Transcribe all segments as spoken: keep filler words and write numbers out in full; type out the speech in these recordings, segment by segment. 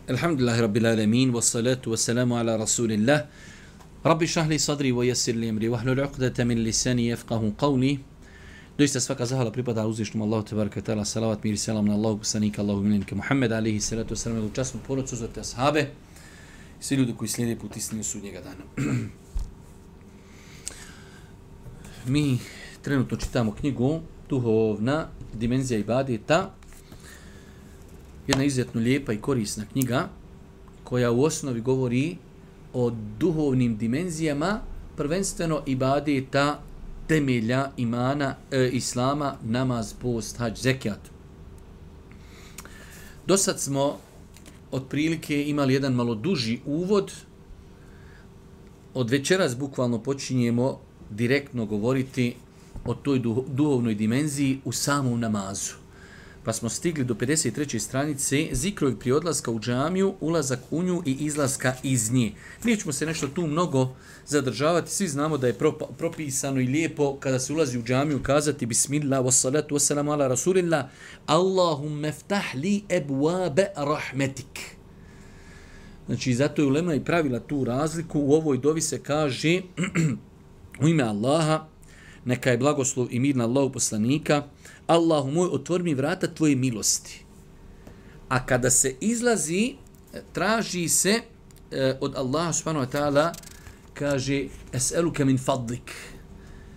Alhamdulillahi rabbil alamin, wassalatu wassalamu ala rasulillah. Rabbi šrah li sadri wa yassir li amri wahlul uqdata min lisani yafqahu qawli. Doista svaka zahvala pripada uzvišnom Allahu tebareke ve taala, salavat mir i selam na Allahu poslanika, Allahu miljenika Muhammed alejhi salatu vesselam, u časnu porodicu za te ashabe i svi ljudi koji slijede put istine sudnjega dana. Mi trenutno čitamo knjigu Duhovna dimenzija ibadeta. Jedna izuzetno lijepa i korisna knjiga koja u osnovi govori o duhovnim dimenzijama, prvenstveno ibadeta, temelja imana, e, islama, namaz, post, hadž, zekijat. Dosad smo otprilike imali jedan malo duži uvod. Od večeras bukvalno počinjemo direktno govoriti o toj duhovnoj dimenziji u samom namazu. Pa smo stigli do pedeset treće stranice, zikrovi prije odlaska u džamiju, ulazak u nju i izlaska iz nje. Nećemo se nešto tu mnogo zadržavati, svi znamo da je propisano i lijepo kada se ulazi u džamiju kazati bismillah, wassalatu wassalamu ala rasulillah, Allahumma ftah li ebwabe rahmetik. Znači, zato je ulema i pravila tu razliku. U ovoj dovi se kaže u ime Allaha, neka je blagoslov i mir na Allahu poslanika, Allahu moj, otvori mi vrata tvoje milosti. A kada se izlazi, traži se e, od Allaha subhanahu wa ta'ala, kaže, es'eluka min fadlik,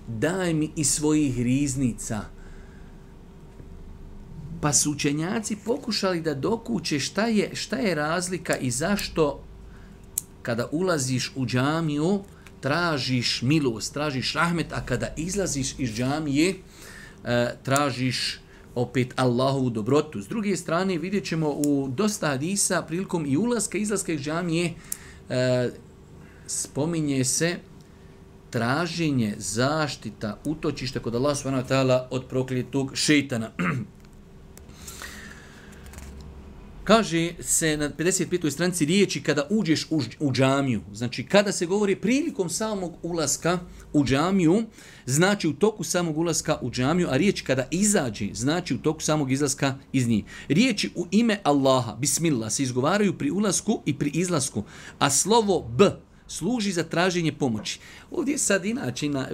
daj mi iz svojih riznica. Pa su učenjaci pokušali da dokuče šta je, šta je razlika i zašto kada ulaziš u džamiju, tražiš milost, tražiš rahmet, a kada izlaziš iz džamije, e, tražiš opet Allahovu dobrotu. S druge strane, vidjet ćemo u dosta hadisa, prilikom i ulaska i izlaska iz džamije, e, spominje se traženje zaštita, utočišta kod Allaha subhanahu wa ta'ala od prokletog šejtana. Kaže se na pedeset petoj stranici riječi kada uđeš u, u džamiju. Znači, kada se govori prilikom samog ulaska u džamiju, znači u toku samog ulaska u džamiju, a riječ kada izađe, znači u toku samog izlaska iz njih. Riječi u ime Allaha, bismillah, se izgovaraju pri ulasku i pri izlasku, a slovo B služi za traženje pomoći. Ovdje sad inače na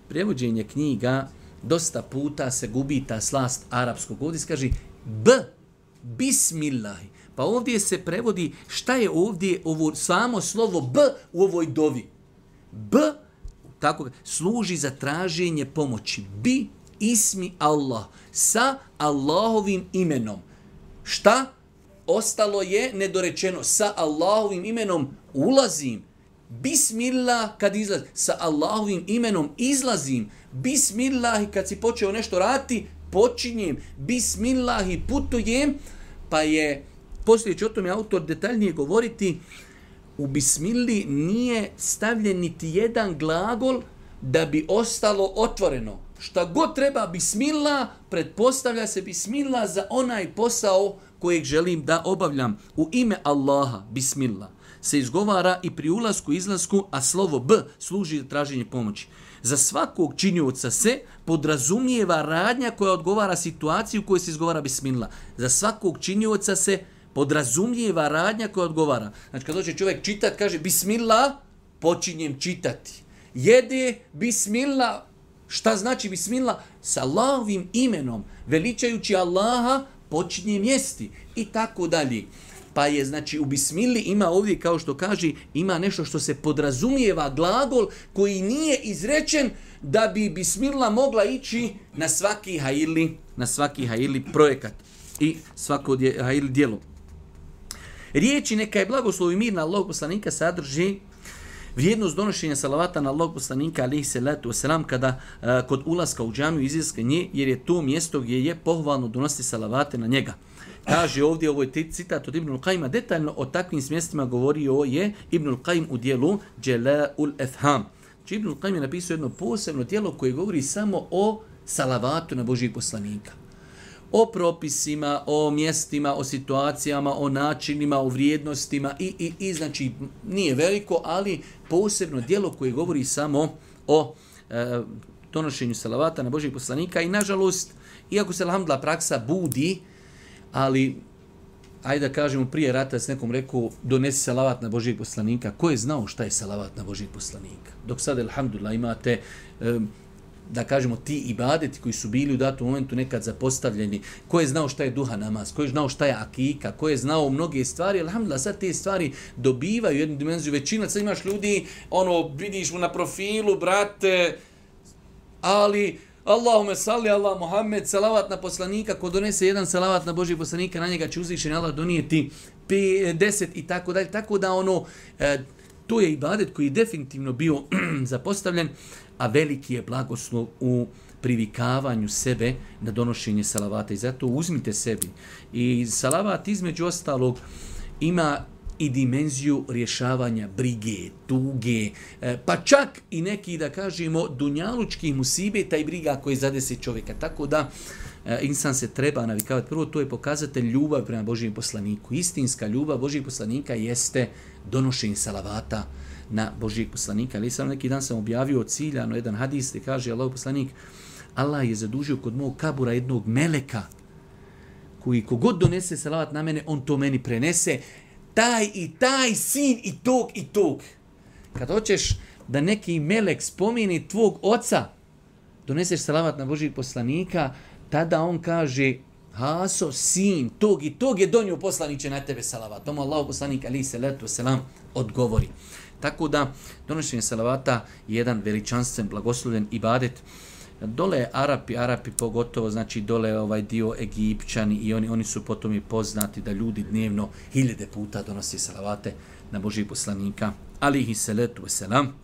prevođenje knjiga dosta puta se gubi ta slast arapskog. Ovdje se kaže B, bismillah. Pa ovdje se prevodi šta je ovdje ovo samo slovo B u ovoj dovi. B tako služi za traženje pomoći. Bi ismi Allah, sa Allahovim imenom. Šta? Ostalo je nedorečeno. Sa Allahovim imenom ulazim. Bismillah kad izlazim. Sa Allahovim imenom izlazim. Bismillah kad si počeo nešto raditi, počinjem. Bismillah i putujem. Pa je, poslije će o tome autor detaljnije govoriti, u bismilli nije stavljen niti jedan glagol da bi ostalo otvoreno. Šta god treba bismillah, pretpostavlja se bismillah za onaj posao kojeg želim da obavljam. U ime Allaha, bismillah, se izgovara i pri ulasku i izlasku, a slovo B služi za traženje pomoći. Za svakog činioca se podrazumijeva radnja koja odgovara situaciji u kojoj se izgovara bismillah. Za svakog činioca se podrazumijeva radnja koja odgovara. Znači, kad dođe čovjek čitat, kaže bismillah, počinjem čitati. Jede, bismillah. Šta znači bismillah? Sa Allahovim imenom, veličajući Allaha, počinjem jesti. I tako dalje. Pa je, znači, u bismilli ima ovdje, kao što kaže, ima nešto što se podrazumijeva, glagol koji nije izrečen da bi bismillah mogla ići na svaki hajili, na svaki hajili projekat i svako dje, hajili djelo. Riječi neka je blagoslov i mir na Allahog poslanika sadrži vrijednost donošenja salavata na Allahog poslanika alejhi salatu vesselam kada uh, kod ulaska u džamiju izlaska nje, jer je to mjesto gdje je pohvalno donositi salavate na njega. Kaže ovdje, ovo je citat od Ibnul Qajima, detaljno o takvim mjestima govorio je Ibnul Qajim u dijelu Džela'ul Efham. Znači, Ibnul Qajim je napisao jedno posebno dijelo koje govori samo o salavatu na Božijeg poslanika. O propisima, o mjestima, o situacijama, o načinima, o vrijednostima i, i, i znači nije veliko, ali posebno dijelo koje govori samo o e, donošenju salavata na Božijeg poslanika i nažalost, iako se alhamdulillah praksa budi, ali ajde da kažemo prije rata s nekom rekao donesi salavat na Božijeg poslanika. Ko je znao šta je salavat na Božijeg poslanika? Dok sad, alhamdulillah, imate um, da kažemo ti ibadeti koji su bili u datom momentu nekad zapostavljeni, ko je znao šta je duha namaz, ko je znao šta je akika, ko je znao mnoge stvari, alhamdulillah, sad te stvari dobivaju jednu dimenziju. Većina, sad imaš ljudi, ono, vidiš mu na profilu, brate, ali Allahume salli Allah Muhammed, salavat na poslanika, ko donese jedan salavat na Božijeg poslanika, na njega će uzvišeni Allah donijeti deset i tako dalje, tako da ono, e, to je ibadet koji je definitivno bio zapostavljen, a veliki je blagoslov u privikavanju sebe na donošenje salavata. I zato uzmite sebi. I salavat između ostalog ima i dimenziju rješavanja brige, tuge, pa čak i neki, da kažemo, dunjalučkih musibeta i briga koje zadese čovjeka. Tako da insan se treba navikavati. Prvo, to je pokazatelj ljubav prema Božijem poslaniku. Istinska ljubav Božijeg poslanika jeste donošenje salavata na Božijeg poslanika. Ali sam neki dan sam objavio ciljano jedan hadis gdje kaže Allahov poslanik, Allah je zadužio kod mog kabura jednog meleka koji kogod donese salavat na mene, on to meni prenese. Taj i taj sin i tog i tog. Kad hoćeš da neki melek spomini tvog oca, doneseš salavat na Božijeg poslanika, tada on kaže, Haso, sin tog i tog je donio poslaniće na tebe salavat. Tomu Allahov poslanik alejhi selatu vesselam odgovori. Tako da donošenje salavata je jedan veličanstven, blagoslovljen ibadet. Dole Arapi, Arapi pogotovo, znači dole ovaj dio Egipćani i oni oni su potom i poznati da ljudi dnevno hiljade puta donose salavate na Božijeg poslanika alejhi selatu vesselam.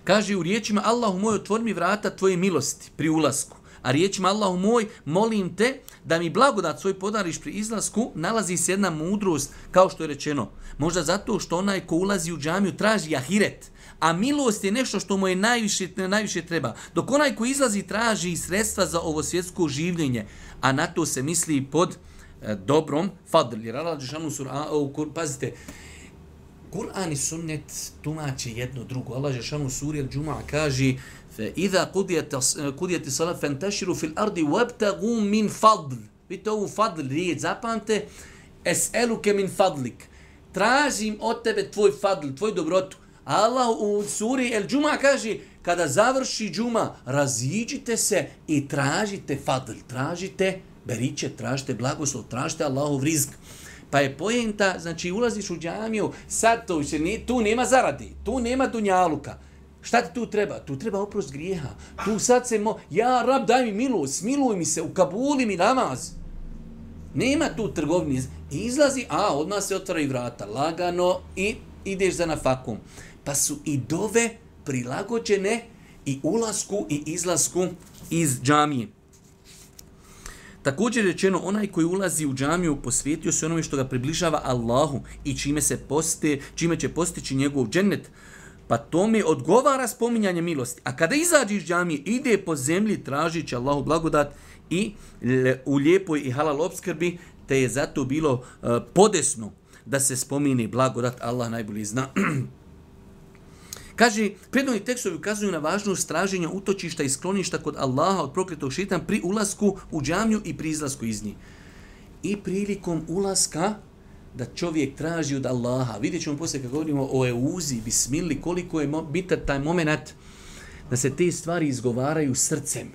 Kaže u riječima Allahu moj, otvori mi vrata tvoje milosti pri ulasku. A riječima Allahu moj, molim te da mi blagodat svoj podariš pri izlasku, nalazi se jedna mudrost, kao što je rečeno. Možda zato što onaj ko ulazi u džamiju traži ahiret, a milost je nešto što mu je najviše, najviše treba. Dok onaj ko izlazi traži sredstva za ovo svjetsko življenje, a na to se misli pod e, dobrom fadl. Jer Allah džeshanu sur, a, a, pazite, Kur'an i sunnet tumače jedno drugo. Allah džeshanu suri al-Džuma kaže فَإِذَا قُدِيَتِ صَلَةً فَانْتَشِرُوا فِي الْأَرْضِ وَابْتَغُوا مِنْ فَضْلِ. Vidite ovu fadl riječ, zapamte, es'eluke min fadlik. Tražim od tebe tvoj fadl, tvoj dobrotu. Allah u suri el-Džuma kaže, kada završi džuma, raziđite se i tražite fadl, tražite beriče, tražite blagoslov, tražite Allahov rizk. Pa je pojenta, znači ulaziš u džamiju, sad to više, tu nema zaradi, tu nema dunjaluka. Šta ti tu treba? Tu treba oprost grijeha. Tu sad se mo... Ja, rab, daj mi milost, smiluj mi se, ukabuli mi namaz. Nema tu trgovini. Izlazi, a odmah se otvaraju vrata. Lagano i ideš za nafakom. Pa su i dove prilagođene i ulasku i izlasku iz džamije. Također je rečeno, onaj koji ulazi u džamiju posvetio se onome što ga približava Allahu i čime, se poste, čime će postići njegov džennet. Pa tome odgovara spominjanje milosti. A kada izađe iz džamije, ide po zemlji tražići Allahu blagodat i u lijepoj i halal opskrbi, te je zato bilo uh, podesno da se spomine blagodat. Allah najbolje zna. Kaže, prednovni tekstovi ukazuju na važnost traženja utočišta i skloništa kod Allaha od prokletog šejtana pri ulasku u džamiju i pri izlasku iz nje. I prilikom ulaska da čovjek traži od Allaha. Vidjet ćemo poslije kad govorimo o euzi, bismili, koliko je bitan taj moment da se te stvari izgovaraju srcem.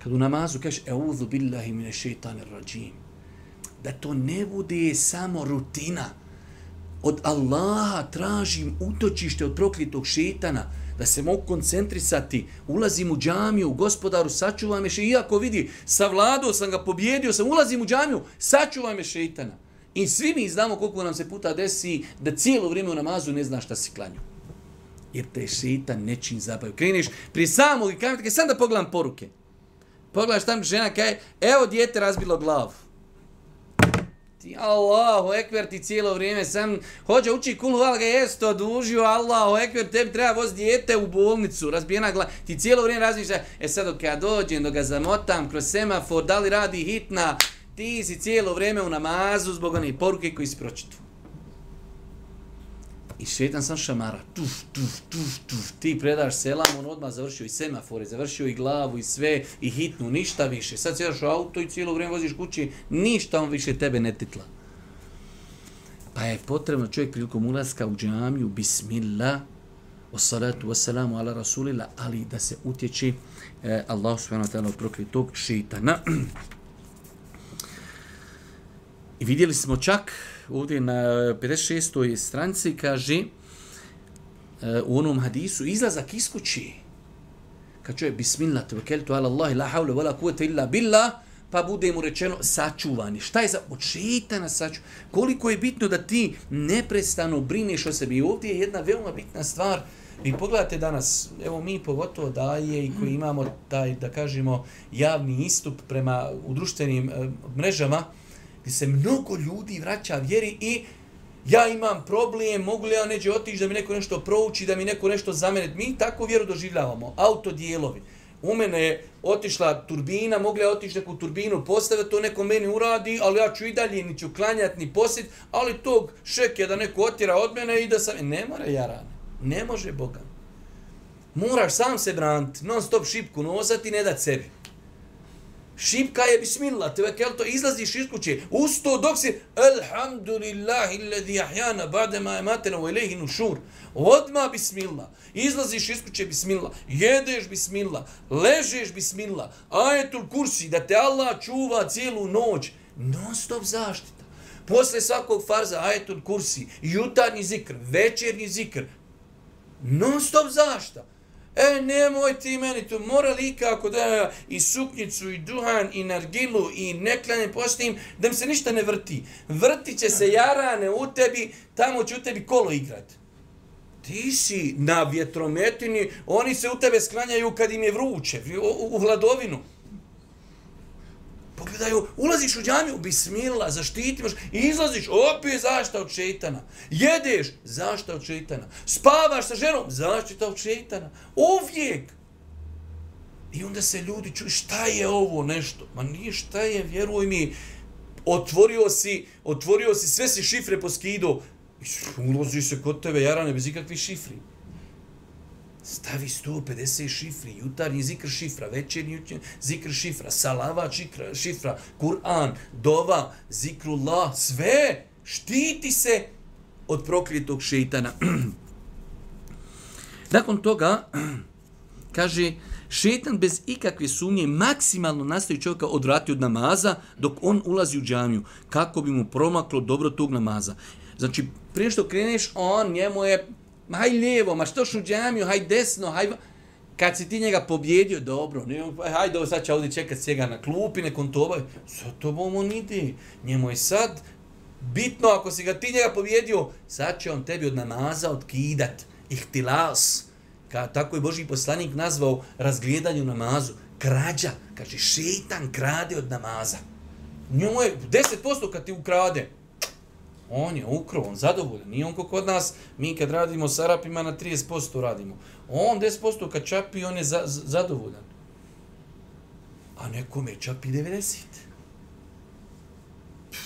Kad u namazu kažeš euzu billahi mine šeitanir rajim, da to ne bude samo rutina. Od Allaha tražim utočište od prokletog šejtana, da se mogu koncentrisati, ulazim u džamiju, gospodaru, sačuvaj me šejtana, iako vidi, savladao sam ga, pobjedio sam, ulazim u džamiju, sačuvaj me šejtana. I svi mi znamo koliko nam se puta desi da cijelo vrijeme u namazu ne znaš šta si klanju. Jer te šejtan nečim zabavio. Kreniš prije samog i kajem, sam da pogledam poruke. Pogledaš tam žena kaj, evo dijete razbilo glavu. Ti Allahu ekber, ti cijelo vrijeme sam hođe uči kul huval ga jest odužio, Allahu ekber, tebi treba voz dijete u bolnicu, razbijena glava. Ti cijelo vrijeme razmišljaš, e sad dok ja dođem, dok ga zamotam kroz semafor, da li radi hitna, ti si cijelo vrijeme u namazu zbog onih poruke koji si pročitao. I šetan sam šamara, tuf, tuf, tuf, tuf, ti predaš selam, on odmah završio i semafore, završio i glavu i sve, i hitnu, ništa više. Sad sjedaš u auto i cijelo vrijeme voziš kući, ništa on više tebe ne titla. Pa je potrebno čovjek prilikom ulaska u džamiju, bismillah, wassalatu wassalamu ala rasulillah, ali da se utječi eh, Allah subhanahu wa ta'ala od prokletog šeitana. I vidjeli smo čak ovdje na pedeset šestoj stranici, kaže u onom hadisu, izlazak iz kući. Kad čovjek, bismillah, tevekkeltu ala Allahi, la havle, wala kuvvete illa billah, pa bude mu rečeno sačuvani. Šta je za od šeitana sačuvani? Koliko je bitno da ti neprestano brineš o sebi. I ovdje je jedna veoma bitna stvar. Vi pogledate danas, evo mi pogotovo daje i koji imamo taj, da kažemo, javni istup prema u društvenim e, mrežama, gdje se mnogo ljudi vraća vjeri i ja imam problem, mogu li ja neđe otići da mi neko nešto prouči, da mi neko nešto zamene. Mi tako vjeru doživljavamo, autodijelovi. U mene je otišla turbina, mogu li ja otići neku turbinu postaviti, to neko meni uradi, ali ja ću i dalje, ni ću klanjati, ni posjeti, ali tog šeke da neko otjera od mene i da sam... Ne mora jarane, ne može Boga. Moraš sam se braniti, non stop šipku nosati i ne dati sebi. Šipka je bismillah, tevekelto, izlaziš iz kuće. Usto dok si alhamdulillahi alladhi ahyana ba'da ma amatana wa ilayhi nushur. Odma bismillah. Izlaziš iz kuće bismillah, jedeš bismillah, ležeš bismillah. Ajetul kursi da te Allah čuva cijelu noć. Non stop zaštita. Posle svakog farza ajetul kursi, jutarnji zikr, večernji zikr. Non stop zaštita. E, nemoj ti meni to, mora li kako da i suknjicu, i duhan, i nargilu, i neklanje postim, da mi se ništa ne vrti. Vrti će se jarane u tebi, tamo će u tebi kolo igrat. Ti si na vjetrometini, oni se u tebe sklanjaju kad im je vruće, u, u hladovinu. Pogledaju, ulaziš u džamiju, bismillah, zaštitimaš, i izlaziš, opet zašta od šeitana. Jedeš, zašta od šeitana. Spavaš sa ženom, zaštita od šeitana. Uvijek. I onda se ljudi čuju, šta je ovo nešto? Ma nije šta je, vjeruj mi, otvorio si, otvorio si, sve si šifre poskido, ulazi se kod tebe, jarane, bez ikakvih šifri. Stavi sto pedeset šifri, jutarnji zikr šifra, večernji zikr šifra, salavat šifra, šifra, Kur'an, dova, zikrullah, sve, štiti se od prokljetog šeitana. Nakon toga, kaže, šeitan bez ikakve sumnje maksimalno nastoji čovjeka odvrati od namaza dok on ulazi u džamiju, kako bi mu promaklo dobro tog namaza. Znači, prije što kreneš, on njemu je haj lijevo, ma što šu džamiju, haj desno, haj... Kad si ti njega pobjedio, dobro, haj dobro, sad će ovdje čekat sjega na klupi, nekom to obaj. Sa tobom on ide. Njemu je sad bitno, ako si ga ti njega pobjedio, sad će on tebi od namaza otkidat. Ihtilas. Ka, tako je Božji poslanik nazvao razgledanje u namazu. Krađa. Kaže, šeitan krade od namaza. Njemu je deset posto kad ti ukrade. On je ukro, on zadovoljan. Nije on ko kod nas, mi kad radimo s Arapima na trideset posto radimo. On deset posto kad čapi, on je za, z, zadovoljan. A nekome čapi devedeset.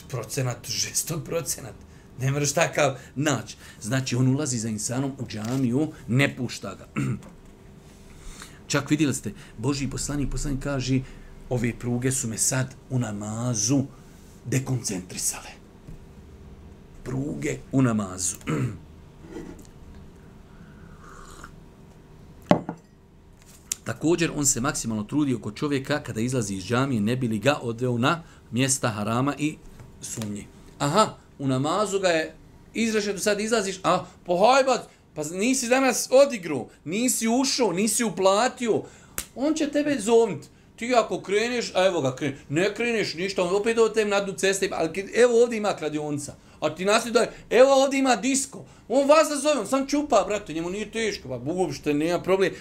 Procenat, žestok procenat. Ne moraš takav naći. Znači, on ulazi za insanom u džamiju, ne pušta ga. Čak vidjeli ste, Božji poslanik, poslanik kaže, ove pruge su me sad u namazu dekoncentrisale. Pruge u namazu. Također, on se maksimalno trudi oko čovjeka kada izlazi iz džamije, ne bi li ga odveo na mjesta harama i sumnje. Aha, u namazu ga je izrašao, do sad izlaziš, a pohajbat, pa nisi danas odigru, nisi ušao, nisi uplatio, on će tebe zovniti. Ti ako kreneš, a evo ga kreneš, ne kreneš ništa, on opet od tem na dnu ceste, ali evo ovdje ima kladionica. A ti nasljeduje, evo ovdje ima disko. On vas da zove, on sam čupa, brate, njemu nije teško, pa uopšte nema problem.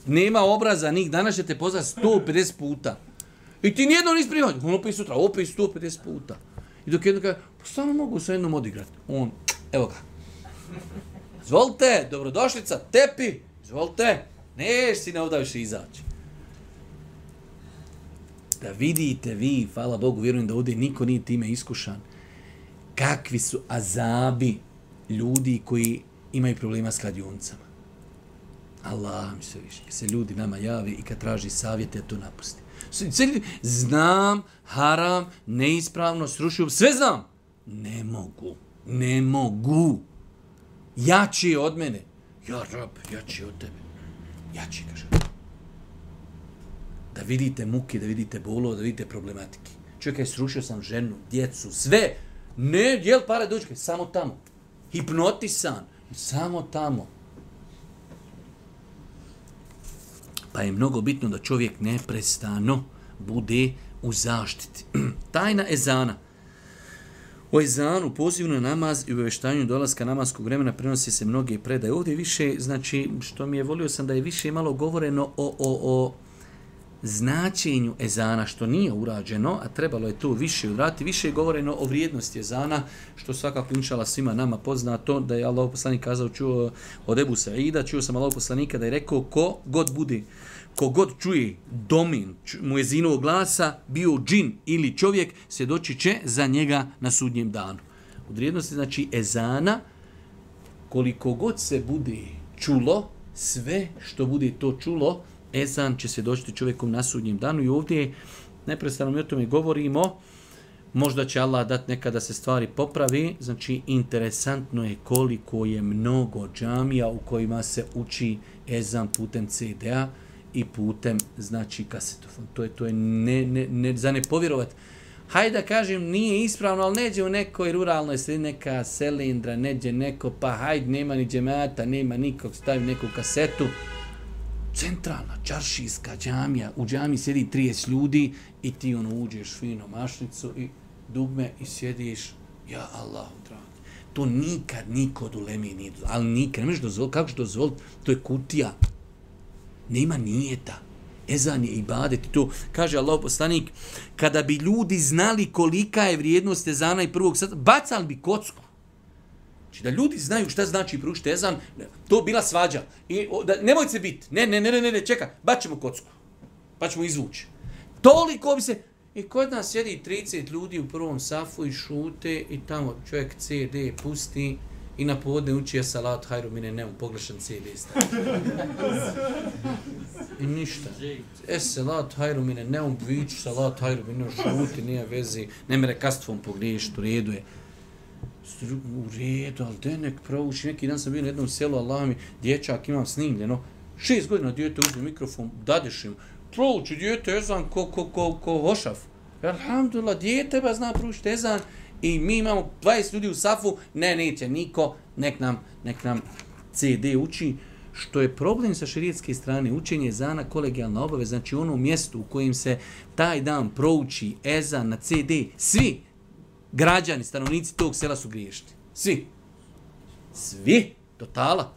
Nema obraza, nik danas će te pozvati sto pedeset puta. I ti nijedno nisi primati, on opet sutra, opet sto pedeset puta. I dok jedno kaže, pa stvarno mogu sa jednom odigrati. On, evo ga. Izvolite, dobrodošlica, tepi, izvolite, neš si ne ovdje više izaći. Da vidite vi, hvala Bogu, vjerujem da ovdje niko nije time iskušan, kakvi su azabi ljudi koji imaju problema s kladionicama. Allah mi se više. Kad se ljudi nama javi i kad traži savjete, to napusti. Znam, haram, neispravno, srušio, sve znam. Ne mogu. Ne mogu. Jači je od mene. Ja, rab, jači je od tebe. Jači, kaže. Da vidite muke, da vidite bolo, da vidite problematike. Čovjek je srušio sam ženu, djecu, sve. Ne, jel pare dođe, samo tamo. Hipnotisan, samo tamo. Pa je mnogo bitno da čovjek neprestano bude u zaštiti. Tajna ezana. O ezanu, pozivu na namaz i obavještavanju dolaska namaskog vremena prenosi se mnoge predaje. Ovdje više, znači, što mi je volio sam da je više malo govoreno o, o, o značenju ezana, što nije urađeno, a trebalo je to više uraditi. Više je govoreno o vrijednosti ezana, što svakako inšala svima nama poznato, da je Allahov poslanik kazao, čuo od Ebu Saida, čuo sam Allahov poslanika da je rekao, ko god bude, ko god čuje domin muezinovog glasa, bio džin ili čovjek, svjedočit će za njega na sudnjem danu. Od vrijednosti, znači, ezana, koliko god se bude čulo, sve što bude to čulo, ezan će svjedočiti čovjekom na sudnjem danu i ovdje neprestano mi o tome govorimo. Možda će Allah dati nekada se stvari popravi. Znači, interesantno je koliko je mnogo džamija u kojima se uči ezan putem ce de a i putem, znači, kasetofon. To je, to je ne, ne, ne, za ne povjerovat. Hajde da kažem, nije ispravno, ali neđe u nekoj ruralnoj sredini neka selindra, neđe neko, pa hajde, nema ni džemata, nema nikog, stavi neku kasetu. Centralna, čaršijska džamija, u džamiji sjedi trideset ljudi i ti ono uđeš fino mašnicu i dugme i sjediš, ja Allahu dragi. To nikad niko od ulemi nije dozvoliti, ali nikad, ne možeš dozvoliti, kako ćeš dozvoliti, to je kutija. Nema nijeta. Ezan je ibadet i to, kaže Allah poslanik, kada bi ljudi znali kolika je vrijednost ezana i prvog sata, bacali bi kocku. Znači da ljudi znaju šta znači proučiti ezan, to bila svađa. I o, da, nemojte se biti, ne, ne, ne, ne, ne, čeka, baćemo kocku, pa ćemo izvući. Toliko bi se, i kod nas sjedi trideset ljudi u prvom safu i šute i tamo čovjek ce de pusti i na povodne uči ja salat hajru mine neum, pogrešan ce de stavi. I ništa. E salat hajru mine neum, viću salat hajru mine šuti, nije vezi, ne mere kastvom pogriješiti, u redu je. U redu, ali de nek prouči. Neki dan sam bio na jednom selu, Allah mi, dječak imam snimljeno, šest godina djete uzme mikrofon, dadeš im, prouči djete ezan ko, ko, ko, ko hošaf. Alhamdulillah, djete ba zna proučiti ezan i mi imamo dvadeset ljudi u safu, ne, neće niko, nek nam, nek nam ce de uči. Što je problem sa šerijetske strane, učenje ezana kolegijalna obaveza, znači ono mjesto u kojem se taj dan prouči ezan na ce de, svi građani, stanovnici tog sela su griješni. Svi. Svi. Totala.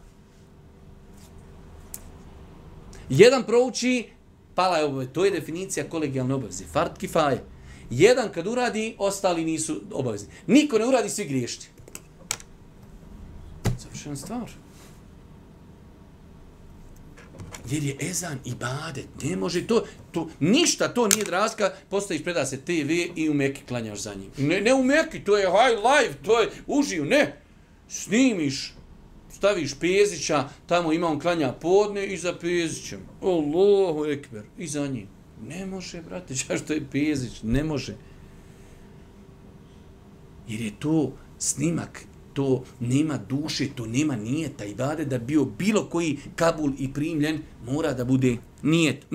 Jedan prouči, pala je obaveza. To je definicija kolegijalne obaveze. Fard kifaje. Jedan kad uradi, ostali nisu obavezni. Niko ne uradi, svi griješni. Završena stvar. Jer je ezan ibadet. Ne može to, to ništa to nije draska, postaviš, preda se te ve i u Meki klanjaš za njim. Ne, ne u Meki, to je high life, to je uživ, ne. Snimiš, staviš Pezića, tamo ima on klanja podne i za Pezićem. Allahu ekber, i za njim. Ne može, brate, što je Pezić, ne može. Jer je to snimak, to nema duše, to nema nijeta i dade da bio bilo koji kabul i primljen, mora da bude nijet.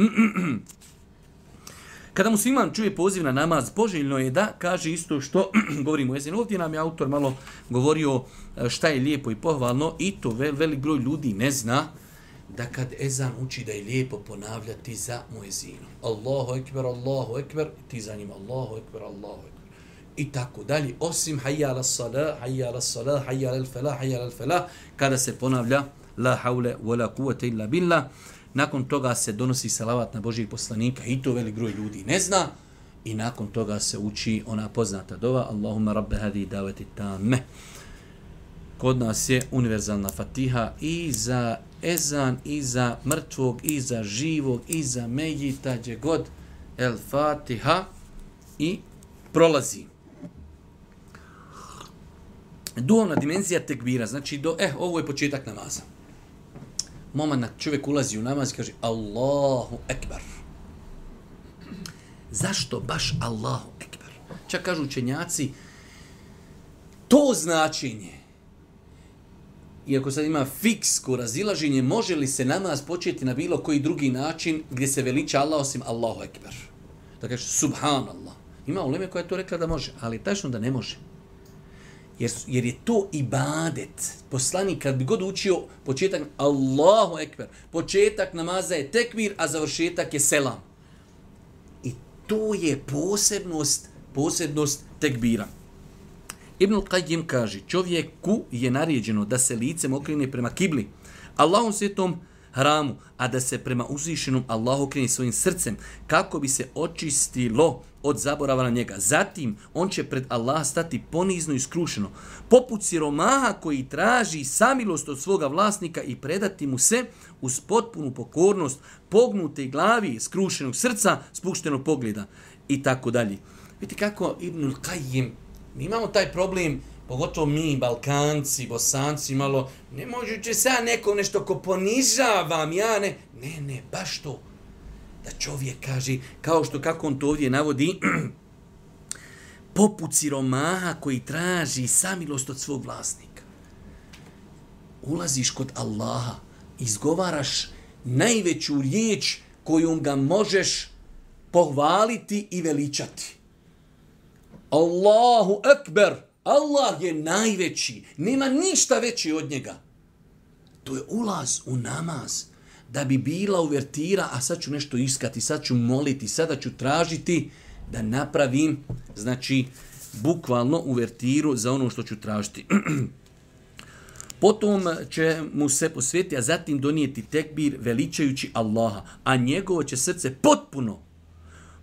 Kada musliman čuje poziv na namaz, poželjno je da kaže isto što govorimo o ezanu. Ovdje nam je autor malo govorio šta je lijepo i pohvalno i to vel, velik broj ljudi ne zna da kad ezan uči da je lijepo ponavljati za muezinu. Allahu ekber, Allahu ekber, ti za njim Allahu ekber, Allahu ekber. I tako dalje, osim hayya ala salah, hayya ala salah, hayya ala falah, hayya ala falah, kada se ponavlja la haule wala quwwata illa billah, nakon toga se donosi salavat na Božijeg poslanika i to velik broj ljudi ne zna i nakon toga se uči ona poznata dova Allahumma rabbe hadi davati tamme. Kod nas je univerzalna fatiha i za ezan, i za mrtvog, i za živog, i za mejita, gdje god el fatiha i prolazi. duhovna dimenzija tekbira, znači do, eh, ovo je početak namaza. Moment čovjek ulazi u namaz i kaže Allahu ekber. Zašto baš Allahu ekber? Čak kažu učenjaci, to značenje, iako sad ima fiksko razilaženje, može li se namaz početi na bilo koji drugi način gdje se veliča Allah osim Allahu ekber? Da kaže subhanallah. Ima uleme koja je to rekla da može, ali tačno da ne može. Jer, jer je to ibadet. Poslanik kad bi god učio početak Allahu ekber, početak namaza je tekbir, a završetak je selam. I to je posebnost, posebnost tekbira. Ibn Qayyim kaže, čovjeku je naređeno da se licem okrene prema kibli, Allahom svetom hramu, a da se prema uzvišenom Allahu okrene svojim srcem, kako bi se očistilo od zaborava na njega. Zatim, on će pred Allah stati ponizno i skrušeno, poput siromaha koji traži samilost od svoga vlasnika i predati mu se uz potpunu pokornost, pognute glavi, skrušenog srca, spuštenog pogleda i tako dalje. Vidite kako Ibn Qayyim, mi imamo taj problem, pogotovo mi, Balkanci, Bosanci, malo, ne možuće se ja nekom nešto ko ponižavam, ja ne, ne, ne, baš to. Da čovjek kaže, kao što kako on to ovdje navodi, poput siromaha koji traži samilost od svog vlasnika. Ulaziš kod Allaha, izgovaraš najveću riječ kojom ga možeš pohvaliti i veličati. Allahu ekber, Allah je najveći, nema ništa veći od njega. To je ulaz u namaz. Da bi bila uvertira, a sad ću nešto iskati, sad ću moliti, sada ću tražiti da napravim, znači, bukvalno uvertiru za ono što ću tražiti. Potom će mu se posvetiti, a zatim donijeti tekbir veličajući Allaha, a njegovo će srce potpuno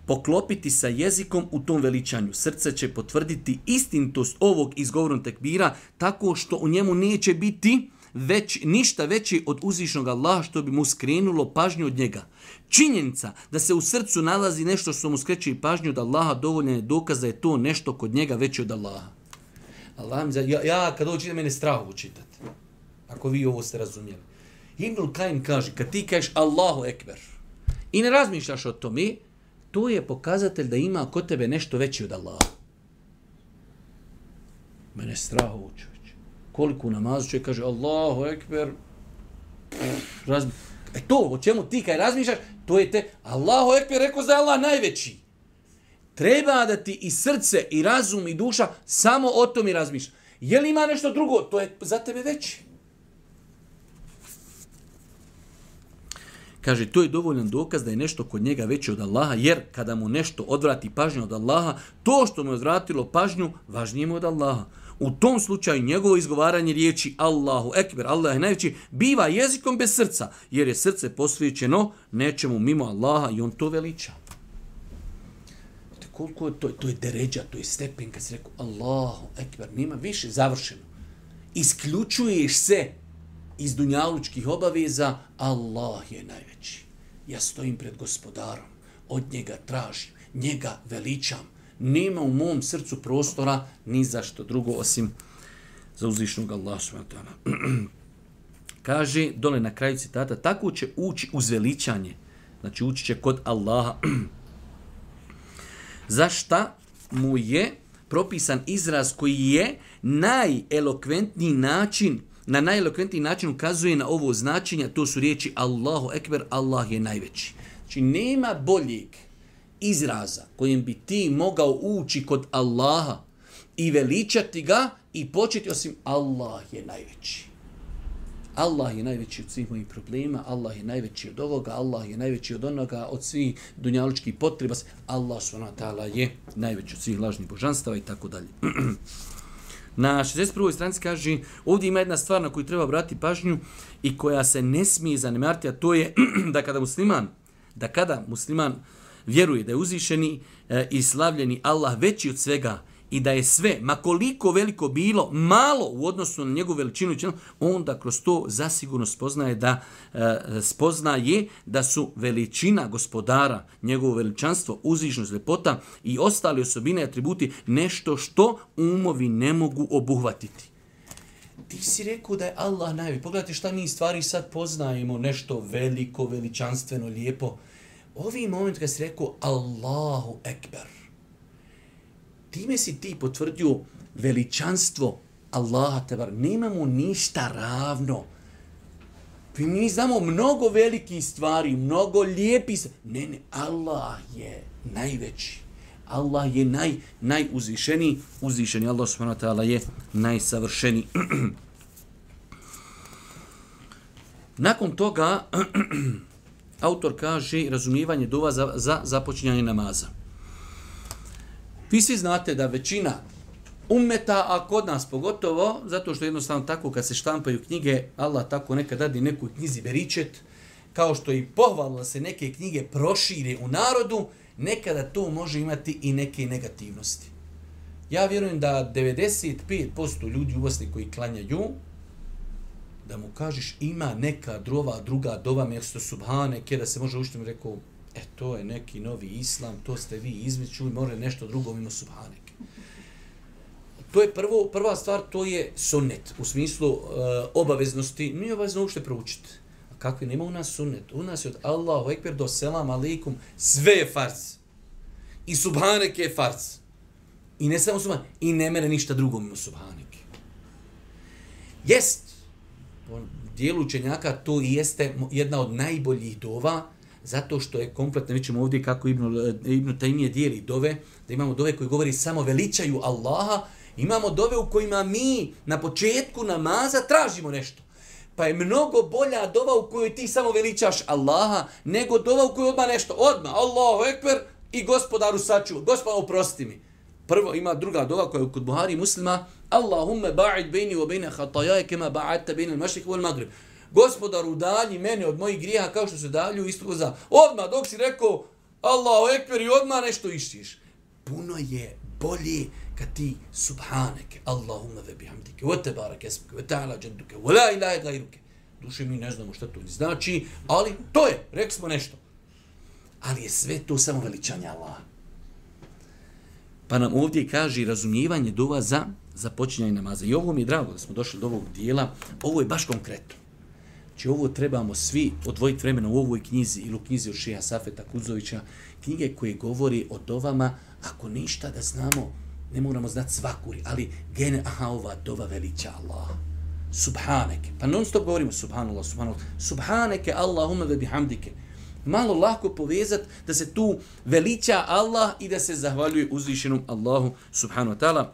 poklopiti sa jezikom u tom veličanju. Srce će potvrditi istinitost ovog izgovornog tekbira tako što u njemu neće biti već, ništa veće od uzvišnog Allaha što bi mu skrenulo pažnju od njega. Činjenica da se u srcu nalazi nešto što mu skreće pažnju od Allaha dovoljno je dokaz da je to nešto kod njega veće od Allaha. Allah mi za, ja, ja kad ovo čitam, mene strah učitati. Ako vi ovo ste razumijeli. Ibn Qayyim kaže, kad ti kažeš Allahu ekber i ne razmišljaš o tome, to je pokazatelj da ima kod tebe nešto veće od Allaha. Mene strah učiti. Koliko u namazu čovjek kaže Allahu ekber, razmi... e to, o čemu ti kaj razmišljaš, to je te, Allahu ekber rekao da je Allah najveći. Treba da ti i srce, i razum, i duša samo o tom i razmišljaš. Je li ima nešto drugo, to je za tebe veći. Kaže, to je dovoljan dokaz da je nešto kod njega veće od Allaha, jer kada mu nešto odvrati pažnju od Allaha, to što mu je odvratilo pažnju, važnije mu od Allaha. U tom slučaju njegovo izgovaranje riječi Allahu ekber, Allah je najveći, biva jezikom bez srca, jer je srce posvećeno nečemu mimo Allaha i on to veliča. Koliko je to, to je deređa, to je stepen, kad se rekao Allahu ekber, nema više, završeno. Isključuješ se iz dunjalučkih obaveza, Allah je najveći. Ja stojim pred gospodarom, od njega tražim, njega veličam. Nema u mom srcu prostora ni za što drugo osim za uzvišnog Allaha subhanahu wa ta'ala. Kaže dole na kraju citata, tako će ući uz veličanje. Znači ući će kod Allaha. Zašta mu je propisan izraz koji je najelokventniji način, na najelokventniji način ukazuje na ovo značenje, to su riječi Allahu ekber, Allah je najveći. Znači nema boljeg izraza kojim bi ti mogao ući kod Allaha i veličati ga i početi osim Allah je najveći. Allah je najveći od svih mojih problema, Allah je najveći od ovoga, Allah je najveći od onoga, od svih dunjalučkih potreba. Allah subhanahu wa ta'ala je najveći od svih lažnih božanstava i tako dalje. Na šezdeset prvoj stranici kaže, ovdje ima jedna stvar na koju treba obratiti pažnju i koja se ne smije zanemariti, a to je da kada musliman, da kada musliman vjeruje da je uzvišeni e, i slavljeni Allah veći od svega i da je sve, makoliko veliko bilo, malo u odnosu na njegovu veličinu, onda kroz to zasigurno spoznaje da, e, spoznaje da su veličina gospodara, njegovo veličanstvo, uzvišnost, ljepota i ostale osobine, atributi, nešto što umovi ne mogu obuhvatiti. ti si rekao da je Allah najveći. Pogledajte šta mi stvari sad poznajemo, nešto veliko, veličanstveno, lijepo. Ovi moment kad si rekao Allahu Ekber, time si ti potvrdio veličanstvo Allaha tebar. Nemamo ništa ravno. Mi znamo mnogo velikih stvari, mnogo lijepih stvari. Ne, ne, Allah je najveći. Allah je naj, najuzvišeniji. Uzvišeni Allah subhanahu wa ta'ala je najsavršeniji. Nakon toga, autor kaže razumijevanje dova za, za započinjanje namaza. Vi svi znate da većina ummeta, a kod nas pogotovo, zato što jednostavno tako kad se štampaju knjige, Allah tako nekad dadi nekoj knjizi beričet, kao što i pohvalno da se neke knjige prošire u narodu, nekada to može imati i neke negativnosti. Ja vjerujem da devedeset pet posto ljudi u Bosni koji klanjaju, da mu kažeš ima neka drova, druga dova mjesto subhaneke, da se može učiti, mu rekao, e to je neki novi islam, to ste vi izmičuli, more nešto drugo mimo subhaneke. To je prvo, prva stvar, to je sunnet, u smislu uh, obaveznosti, nije obavezno uopšte proučiti. A kakvi nema u nas sunnet? U nas je od Allahu Ekber do selam alaikum, sve je farz. I subhaneke je farz. I ne samo subhaneke, i ne mere ništa drugo mimo subhaneke. Jest, po dijelu učenjaka to i jeste jedna od najboljih dova, zato što je kompletno, mi ćemo ovdje kako Ibn, Ibn Taymije dijeli dove, da imamo dove koji govori samo veličaju Allaha, imamo dove u kojima mi na početku namaza tražimo nešto. Pa je mnogo bolja dova u kojoj ti samo veličaš Allaha, nego dova u kojoj odmah nešto, odmah, Allahu Ekber i gospodaru sačuvaj, gospodaru oprosti mi. Prvo ima druga dova koja je kod Buhari i Muslima, Allahumme ba'id bejni wa bejne hatajaje kema ba'adta bejne al-mašrik wal magrib. Gospodaru, udalji mene od mojih grijeha kao što se dalju istoga za. Odmah dok si rekao Allahu Ekber i odmah nešto ištiš. Puno je bolje kad ti subhaneke, Allahumma ve bihamdike, wa tebarek esmike, wa ta'ala džanduke, wa la ilaha gajruke. Duše mi ne znamo šta to znači, ali to je, rekli smo nešto. Ali je sve to samo veličanje Allaha. Pa nam ovdje kaže razumijevanje dova za započinjanje namaza. I ovo mi je drago da smo došli do ovog dijela. Ovo je baš konkretno. Znači ovo trebamo svi odvojiti vremena u ovoj knjizi ili u knjizi od Šeha Safeta Kuzovića. Knjige koje govori o dovama, ako ništa da znamo, ne moramo znati svakuri, ali gene, aha, ova dova veliča Allah. Subhaneke. Pa non stop govorimo subhanallah, subhanallah. Subhaneke, Allahumma ve bihamdike. Malo lako povezati da se tu veliča Allah i da se zahvaljuje uzvišenom Allahu subhanahu wa ta'ala.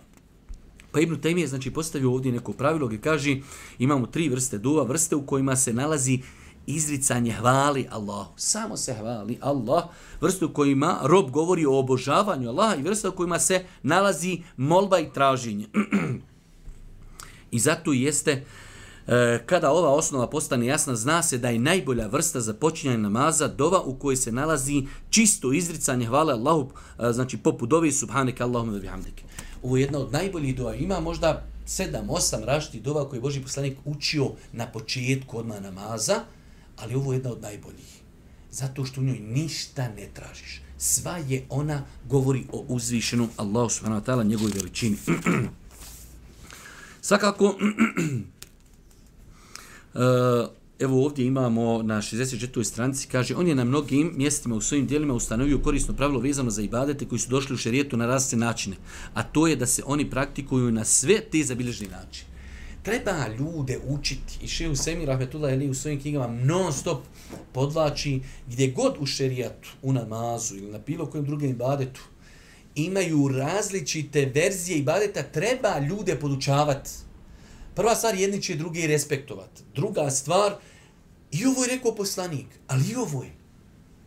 Pa Ibn Taymije znači postavio ovdje neko pravilo gdje kaže imamo tri vrste dova, vrste u kojima se nalazi izricanje hvali Allahu. Samo se hvali Allah. Vrste u kojima rob govori o obožavanju Allaha i vrste u kojima se nalazi molba i traženje. I zato jeste kada ova osnova postane jasna, zna se da je najbolja vrsta za počinjanje namaza dova u kojoj se nalazi čisto izricanje hvale Allahu, znači poput dove subhaneke Allahumma bihamdike. Ovo je jedna od najboljih dova. Ima možda sedam, osam različitih dova koje je Božji poslanik učio na početku odmah namaza, ali ovo je jedna od najboljih. Zato što u njoj ništa ne tražiš. Sva je ona govori o uzvišenom Allahu subhanahu wa ta'ala, njegovoj veličini. Svakako, Uh, evo ovdje imamo na šezdeset četvrtoj stranici, kaže, on je na mnogim mjestima u svojim dijelima ustanovio korisno pravilo vezano za ibadete koji su došli u šerijetu na različite načine, a to je da se oni praktikuju na sve te zabilježeni načine. Treba ljude učiti i Šejh Usejmin rahmetullah alejhi u svojim knjigama non stop podvlači gdje god u šerijatu, u namazu ili na bilo kojem drugom ibadetu imaju različite verzije ibadeta, treba ljude podučavati. Prva stvar, jedni će drugi respektovati. Druga stvar, i ovo je rekao poslanik, ali i ovo je.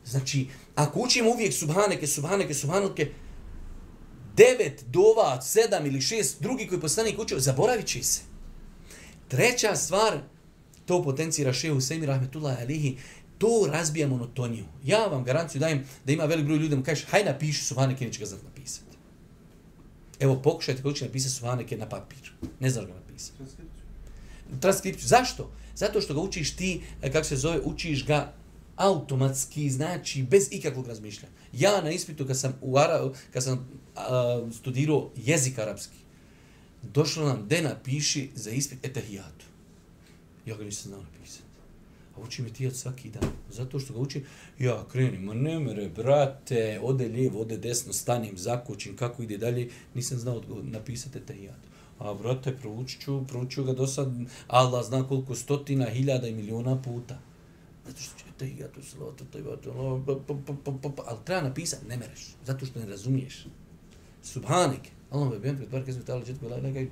Znači, ako učimo uvijek subhaneke, subhaneke, subhaneke, devet dova, sedam ili šest drugi koji poslanik učio, zaboravit će se. Treća stvar, to potencira Šejh Usejmin rahmetullah alejhi, to razbija monotoniju. Ja vam garanciju dajem da ima velik broj ljudi da mu kažeš, haj napiši subhaneke, neće ga znati napisati. Evo, pokušajte kako će napisati subhaneke na papir. Ne znaš ga napisati. Transkripciju. Zašto? Zato što ga učiš ti, kako se zove, učiš ga automatski, znači bez ikakvog razmišljanja. Ja na ispitu kad sam, u Ara, kad sam uh, studirao jezik arapski, došlo nam, de napiši za ispit etahijatu. Ja ga nisam znao napisati. A učim etahijat svaki dan. Zato što ga učim, ja krenim, ma ne mere, brate, ode lijevo, ode desno, stanim, zakočim, kako ide dalje, nisam znao napisati etahijatu. A brate, proučit ću, proučit ću ga do sad, Allah zna koliko stotina, hiljada i miliona puta. Zato što će etahijatu, salatu, tajvatu, ali treba napisati, ne mereš, zato što ne razumiješ. Subhanik, Allah me bijem, pretvar kezme ta'ala, četko, laj, laj,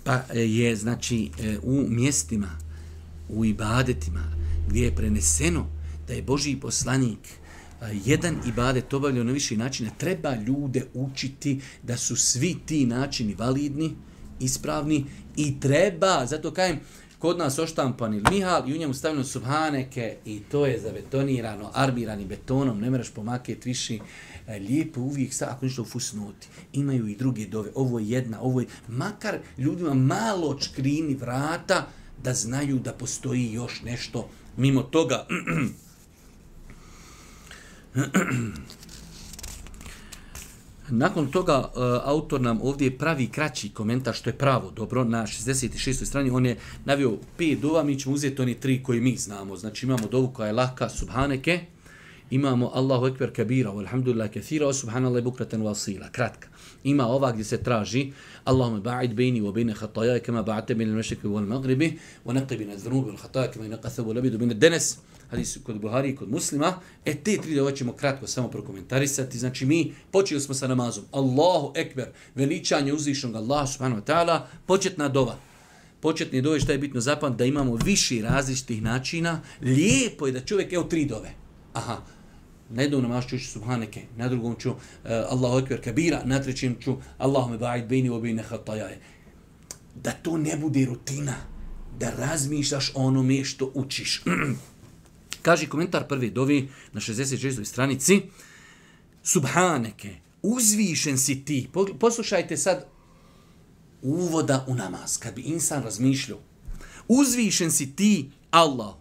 Pa je, znači, u mjestima, u ibadetima, gdje je preneseno da je Božji poslanik jedan ibadet obavljao na više načina, treba ljude učiti da su svi ti načini validni, ispravni i treba, zato kajem, kod nas oštampan ili Mihal i u njemu stavljeno subhaneke i to je zabetonirano, armirani betonom, ne meraš pomaketi više, lijepo uvijek, sa, ako ništa u fusnoti, imaju i druge dove, ovo je jedna, ovo je, makar ljudima malo čkrini vrata da znaju da postoji još nešto mimo toga. Nakon toga uh, autor nam ovdje pravi kraći komentar, što je pravo dobro, na šezdeset šestoj strani on je navio pet dova, mi ćemo uzeti oni tri koji mi znamo. Znači imamo dovu koja je lahka, subhaneke, imamo Allahu ekber kabira, walhamdulillah kathira, wa subhanallah bukratan wa asila, kratka. Ima ova gdje se traži Allahumma ba'id baini wa baina khataaya kama ba'adta baina al-mashriqi wal maghribi wa naqi min adh-dhunubi wal khataaya kama yunqqa ath-thawbu al-abyadu min ad-danas. Hadis kod Buhari i kod Muslima. E te tri dove ćemo kratko samo prokomentarisati. Znači mi počeli smo sa namazom. Allahu ekber, veličanje uzvišenog Allaha subhanahu wa ta'ala, početna dova. Početni dove, šta je bitno zapamtiti, da imamo više različitih načina. Lijepo je da čovjek, evo tri dove. Aha. Na jednom namazu ću subhaneke, na drugom ću uh, Allahu ekber kabira, na trećem ću Allahume ba'id baini wa baina khataaya. Da to ne bude rutina, da razmišljaš o onome što učiš. Kaže komentar prve dovi na šezdeset šestoj stranici. Subhaneke, uzvišen si ti. Poslušajte sad uvoda u namaz, kad bi insan razmišljao. Uzvišen si ti, Allah,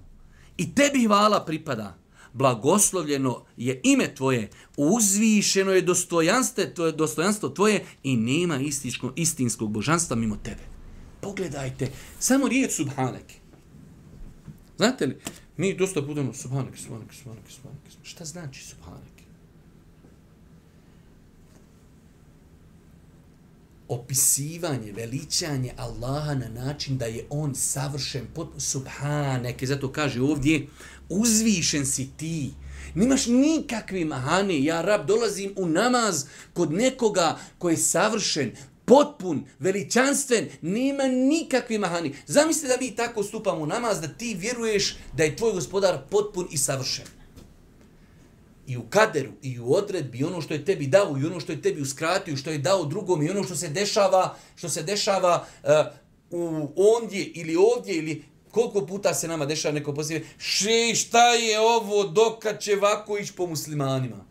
i tebi hvala pripada. Blagoslovljeno je ime tvoje, uzvišeno je dostojanstvo tvoje, dostojanstvo tvoje i nema istinskog, istinskog božanstva mimo tebe. Pogledajte, samo riječ subhaneke. Znate li, mi dosta budemo subhaneke, subhaneke, subhaneke, subhaneke. Šta znači subhaneke? Opisivanje, veličanje Allaha na način da je on savršen, potpuno subhaneke, zato kaže ovdje, uzvišen si ti, nimaš nikakve mahane, ja rab dolazim u namaz kod nekoga koji je savršen, potpun, veličanstven, nema nikakve mahani. Zamislite da mi tako stupamo u namaz, da ti vjeruješ da je tvoj gospodar potpun i savršen. I u kaderu, i u odredbi, i ono što je tebi dao, i ono što je tebi uskratio, što je dao drugom, i ono što se dešava, što se dešava uh, u ondje ili ovdje, ili koliko puta se nama dešava neko poslije, še, šta je ovo, dokad će ovako ići po muslimanima?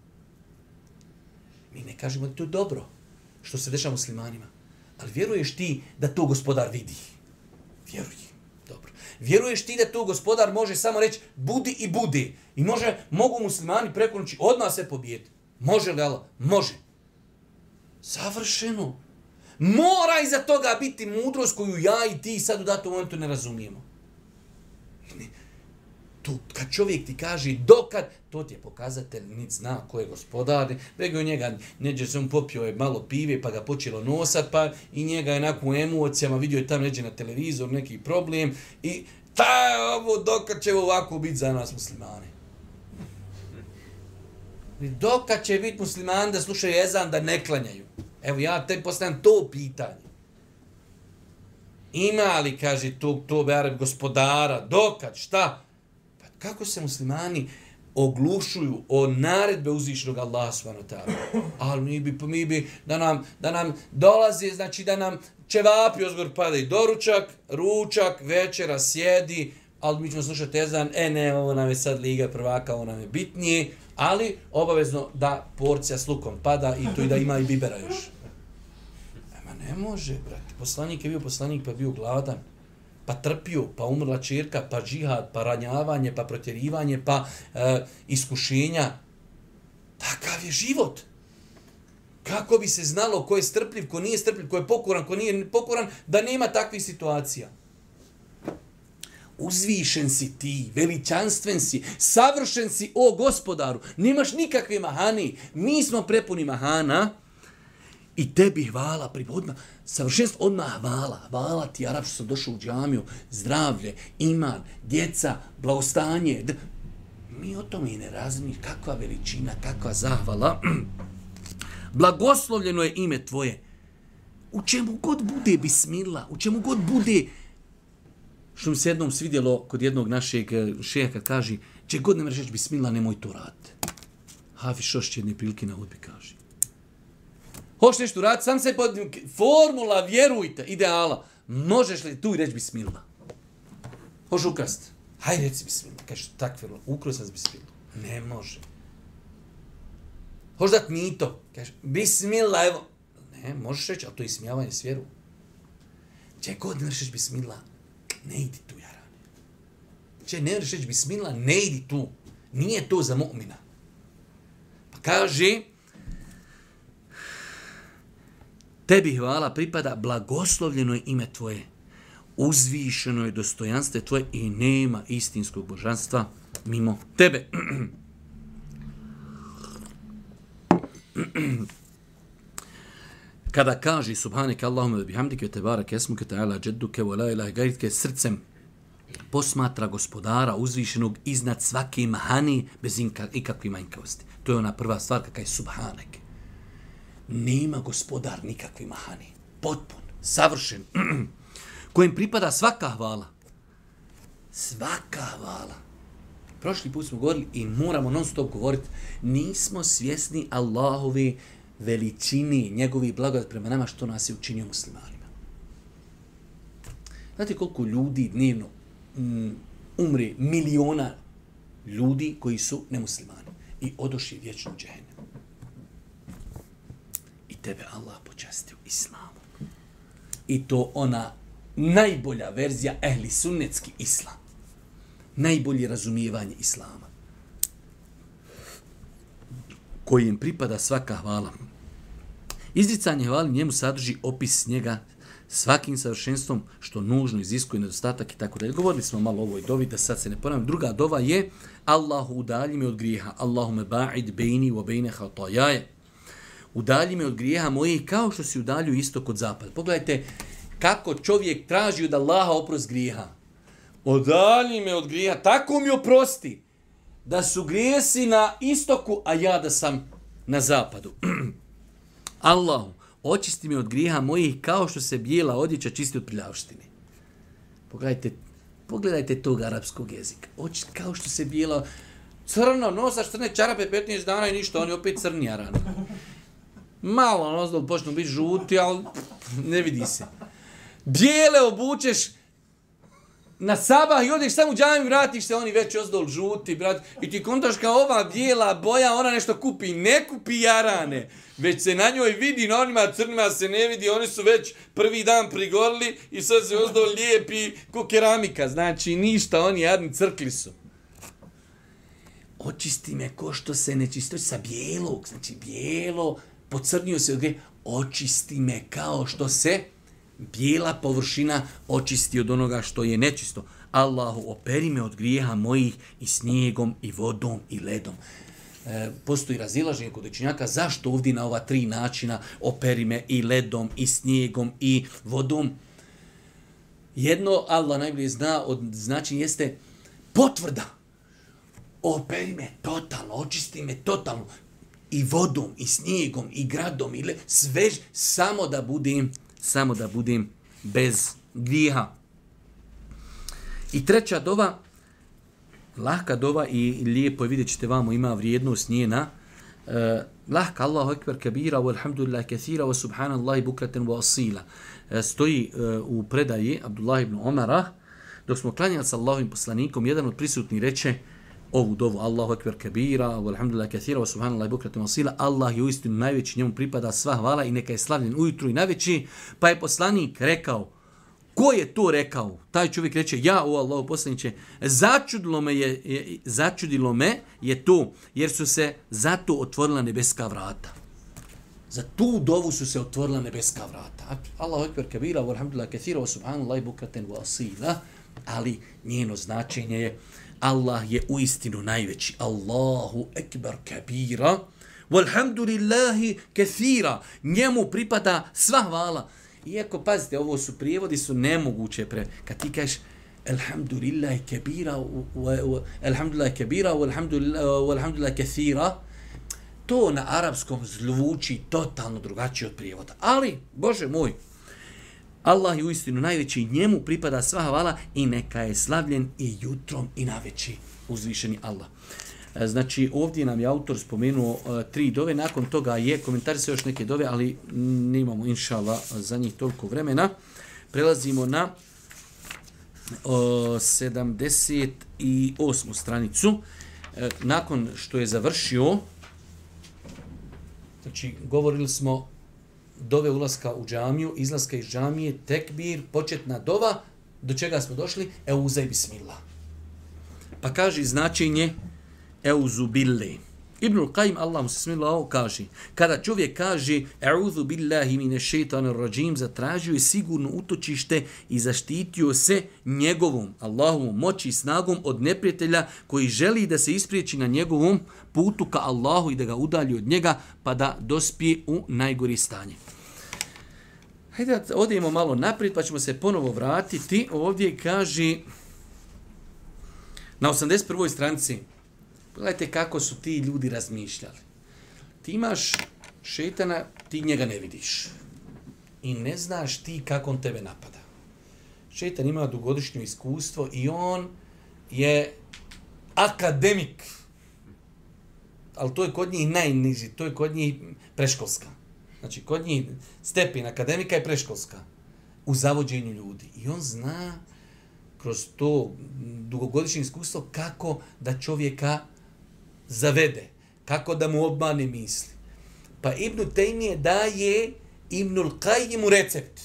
Mi ne kažemo da to je dobro što se dešava muslimanima. Ali vjeruješ ti da to gospodar vidi? Vjeruj. Dobro. Vjeruješ ti da to gospodar može samo reći budi i budi. I može, mogu muslimani preko noći odmah se pobijeti. Može li Allah? Može. Savršeno. Mora iza toga biti mudrost koju ja i ti sad u datom momentu ne razumijemo. Tu, kad čovjek ti kaže dokad, to ti je pokazatelj, nic zna ko je gospodar, nego njega, neđe se on popio je malo pive, pa ga počelo nosat, pa i njega je nakon u emocijama, vidio je tam neđe na televizor, neki problem, i ta ovo, dokad će ovako biti za nas muslimane? Dokad će biti muslimani da slušaju ezan, da ne klanjaju? Evo ja te postavljam to pitanje. Ima li, kaže, tog, to bereb gospodara, dokad, šta? Kako se muslimani oglušuju o naredbe uzvišenog Allaha subhanahu wa ta'ala. Ali mi bi, mi bi da nam, da nam dolazi, znači da nam ćevapi ozgor padaju doručak, ručak, večera, sjedi, ali mi ćemo slušati ezan, e ne, ovo nam je sad Liga prvaka, ovo nam je bitnije, ali obavezno da porcija s lukom pada i to i da ima i bibera još. Ema ne može, brate. Poslanik je bio poslanik, pa bio gladan. Pa trpio, pa umrla čerka, pa džihad, pa ranjavanje, pa protjerivanje, pa e, iskušenja. Takav je život. kako bi se znalo ko je strpljiv, ko nije strpljiv, ko je pokoran, ko nije pokoran, da nema takvih situacija. Uzvišen si ti, veličanstven si, savršen si, o gospodaru, nemaš nikakve mahani, mi smo prepuni mahana i tebi hvala, odmah, savršenstvo odmah hvala, hvala ti, Arab, što sam došao u džamiju, zdravlje, iman, djeca, blagostanje, d- mi o tome i ne razumijemo, kakva veličina, kakva zahvala. Blagoslovljeno je ime tvoje. U čemu god bude bismillah, u čemu god bude, što mi se jednom svidjelo kod jednog našeg šeha kad kaže, če god ne mreš reći bismillah, nemoj to raditi. Hafiz Šošć jedne prilike na hudbi kaže. Hoš nešto raditi, sam se pod formula, vjerujte, ideala. Možeš li tu i reći bismillah? Hoš ukrast? Hajde reci bismillah. Kaže, takve, ukro sam s bismillah. Ne može. Hoš dat mito? Kaže, bismillah, evo. Ne, možeš reći, ali to je ismijavanje s vjeru. Če god ne reći bismillah, ne idi tu, jarane. Če ne reći bismillah, ne idi tu. Nije to za mu'mina. Pa kaže, tebi hvala pripada, blagoslovljeno je ime tvoje, uzvišeno je dostojanstvo tvoje i nema istinskog božanstva mimo tebe. Kada kaže subhaneke Allahumma wa bihamdike wa tebarak esmuke ta'ala jadduke wa la ilaha gajritke, srcem posmatra gospodara uzvišenog iznad svake mahani bez ikakve manjkavosti. To je ona prva stvar kakva je subhaneke. Nema gospodar nikakve mahani. Potpun, savršen, kojem pripada svaka hvala. Svaka hvala. Prošli put smo govorili i moramo non stop govoriti, nismo svjesni Allahove veličini, njegovi blagodat prema nama, što nas je učinio muslimanima. Znate koliko ljudi dnevno um, umre, miliona ljudi koji su nemuslimani i odošli vječno džehennem. I tebe Allah počastio islamu. I to ona najbolja verzija ehli sunnetski islam. Najbolje razumijevanje islama. Kojim pripada svaka hvala. Izricanje hvali njemu sadrži opis njega svakim savršenstvom što nužno iziskuje nedostatak i tako dalje. Govorili smo malo o ovoj dovi, da sad se ne ponavljam. Druga dova je Allahu udalji me od grijeha. Allahume ba'id bejni wa bejne hatajaje. Udalji me od grijeha mojih kao što si udalju istok od zapada. Pogledajte kako čovjek traži od Allaha oprost grijeha. Udalji me od grijeha, tako mi oprosti. Da su grijesi na istoku, a ja da sam na zapadu. Allahu, očisti me od grijeha mojih kao što se bijela odjeća čisti od prljavštine. Pogledajte, pogledajte tog arapskog jezika. Oči, kao što se bijela... Crno, nosaš crne čarape petnaest dana i ništa, oni opet crni arani. Malo nozdol počnu biti žuti, ali ne vidi se. Bijele obučeš na sabah i odeš samo u džamiju, vratiš se, oni već ozdol žuti, brat, i ti kontaš kao ova bijela boja, ona nešto kupi, ne kupi jarane, već se na njoj vidi, na onima crnima se ne vidi, oni su već prvi dan prigorili i sad se ozdol lijepi ko keramika, znači ništa, oni jadni crkli su. Očisti me ko što se ne čisto sa bijelog, znači bijelo, pocrnio se od grije, očisti me kao što se bijela površina očisti od onoga što je nečisto. Allahu, operi me od grijeha mojih i snijegom, i vodom, i ledom. E, postoji razilaženje kod učenjaka zašto ovdje na ova tri načina operi me i ledom, i snijegom, i vodom. Jedno, Allah najbolje zna, od značenja jeste potvrda. Operi me totalno, očisti me totalno. I vodom, i snijegom, i gradom, i le, sve, samo da budem samo da budem bez grijeha. I treća dova, lahka dova i lijepo je, vidjet ćete vamo, ima vrijednost njena. Uh, lahka Allahu ekber kabira, walhamdulillah kathira, wa subhanallahi bukraten wa asila. Uh, stoji uh, u predaji Abdullah ibn Omara, dok smo klanjali sa Allahovim poslanikom, jedan od prisutnih reče ovu dovu, Allahu ekber kabira, walhamdulillah kathira, wa subhanallahi bukraten wa asila. Allah je uistinu najveći, njemu pripada sva hvala i neka je slavljen ujutru i najveći. Pa je poslanik rekao, ko je to rekao? Taj čovjek reče, ja, o Allahu poslaniče, začudilo me je, je, začudilo me je to, jer su se zato otvorila nebeska vrata. Za tu dovu su se otvorila nebeska vrata. Allahu ekber kabira, walhamdulillah kathira, wa subhanallahi bukraten wa asila. Ali njeno značenje je Allah je uistinu najveći. Allahu ekber kabira, walhamdulillahi kathira. Njemu pripada sva hvala. Iako, pazite, ovo su prijevodi, su nemoguće. Pre... Kad ti kažeš alhamdulillahi kabira, alhamdulillahi kabira, walhamdulillahi kathira, to na arapskom zvuči totalno drugačije od prijevoda. Ali, Bože moj, Allah je uistinu najveći, njemu pripada sva hvala i neka je slavljen i jutrom i naveći uzvišeni Allah. Znači, ovdje nam je autor spomenuo uh, tri dove, nakon toga je komentarisao još neke dove, ali nemamo, inša Allah, za njih toliko vremena. Prelazimo na uh, sedamdeset osmu stranicu. Uh, nakon što je završio, znači, govorili smo dove ulaska u džamiju, izlaska iz džamije, tekbir, početna dova, do čega smo došli? Euzaj bismillah. Pa kaže značenje Euzu bille. Ibnul Qayyim, Allah mu se smilao, kaže, kada čovjek kaže Euzu billahi mine šeitanir rajim, zatražio je sigurno utočište i zaštitio se njegovom, Allahovom moći i snagom od neprijatelja koji želi da se ispriječi na njegovom putu ka Allahu i da ga udalji od njega pa da dospije u najgori stanje. Hajde da odemo malo naprijed pa ćemo se ponovo vratiti. Ovdje kaže na osamdeset prvoj stranici. Pogledajte kako su ti ljudi razmišljali. Ti imaš šejtana, ti njega ne vidiš. I ne znaš ti kako on tebe napada. Šejtan ima dugogodišnje iskustvo i on je akademik. Ali to je kod njih najniži, to je kod njih preškolska. Znači, kod njih stepen akademika je preškolska. U zavođenju ljudi. I on zna kroz to dugogodišnje iskustvo kako da čovjeka zavede, kako da mu obmane misli. Pa Ibn Taymije daje Ibnul Qayyimu recept.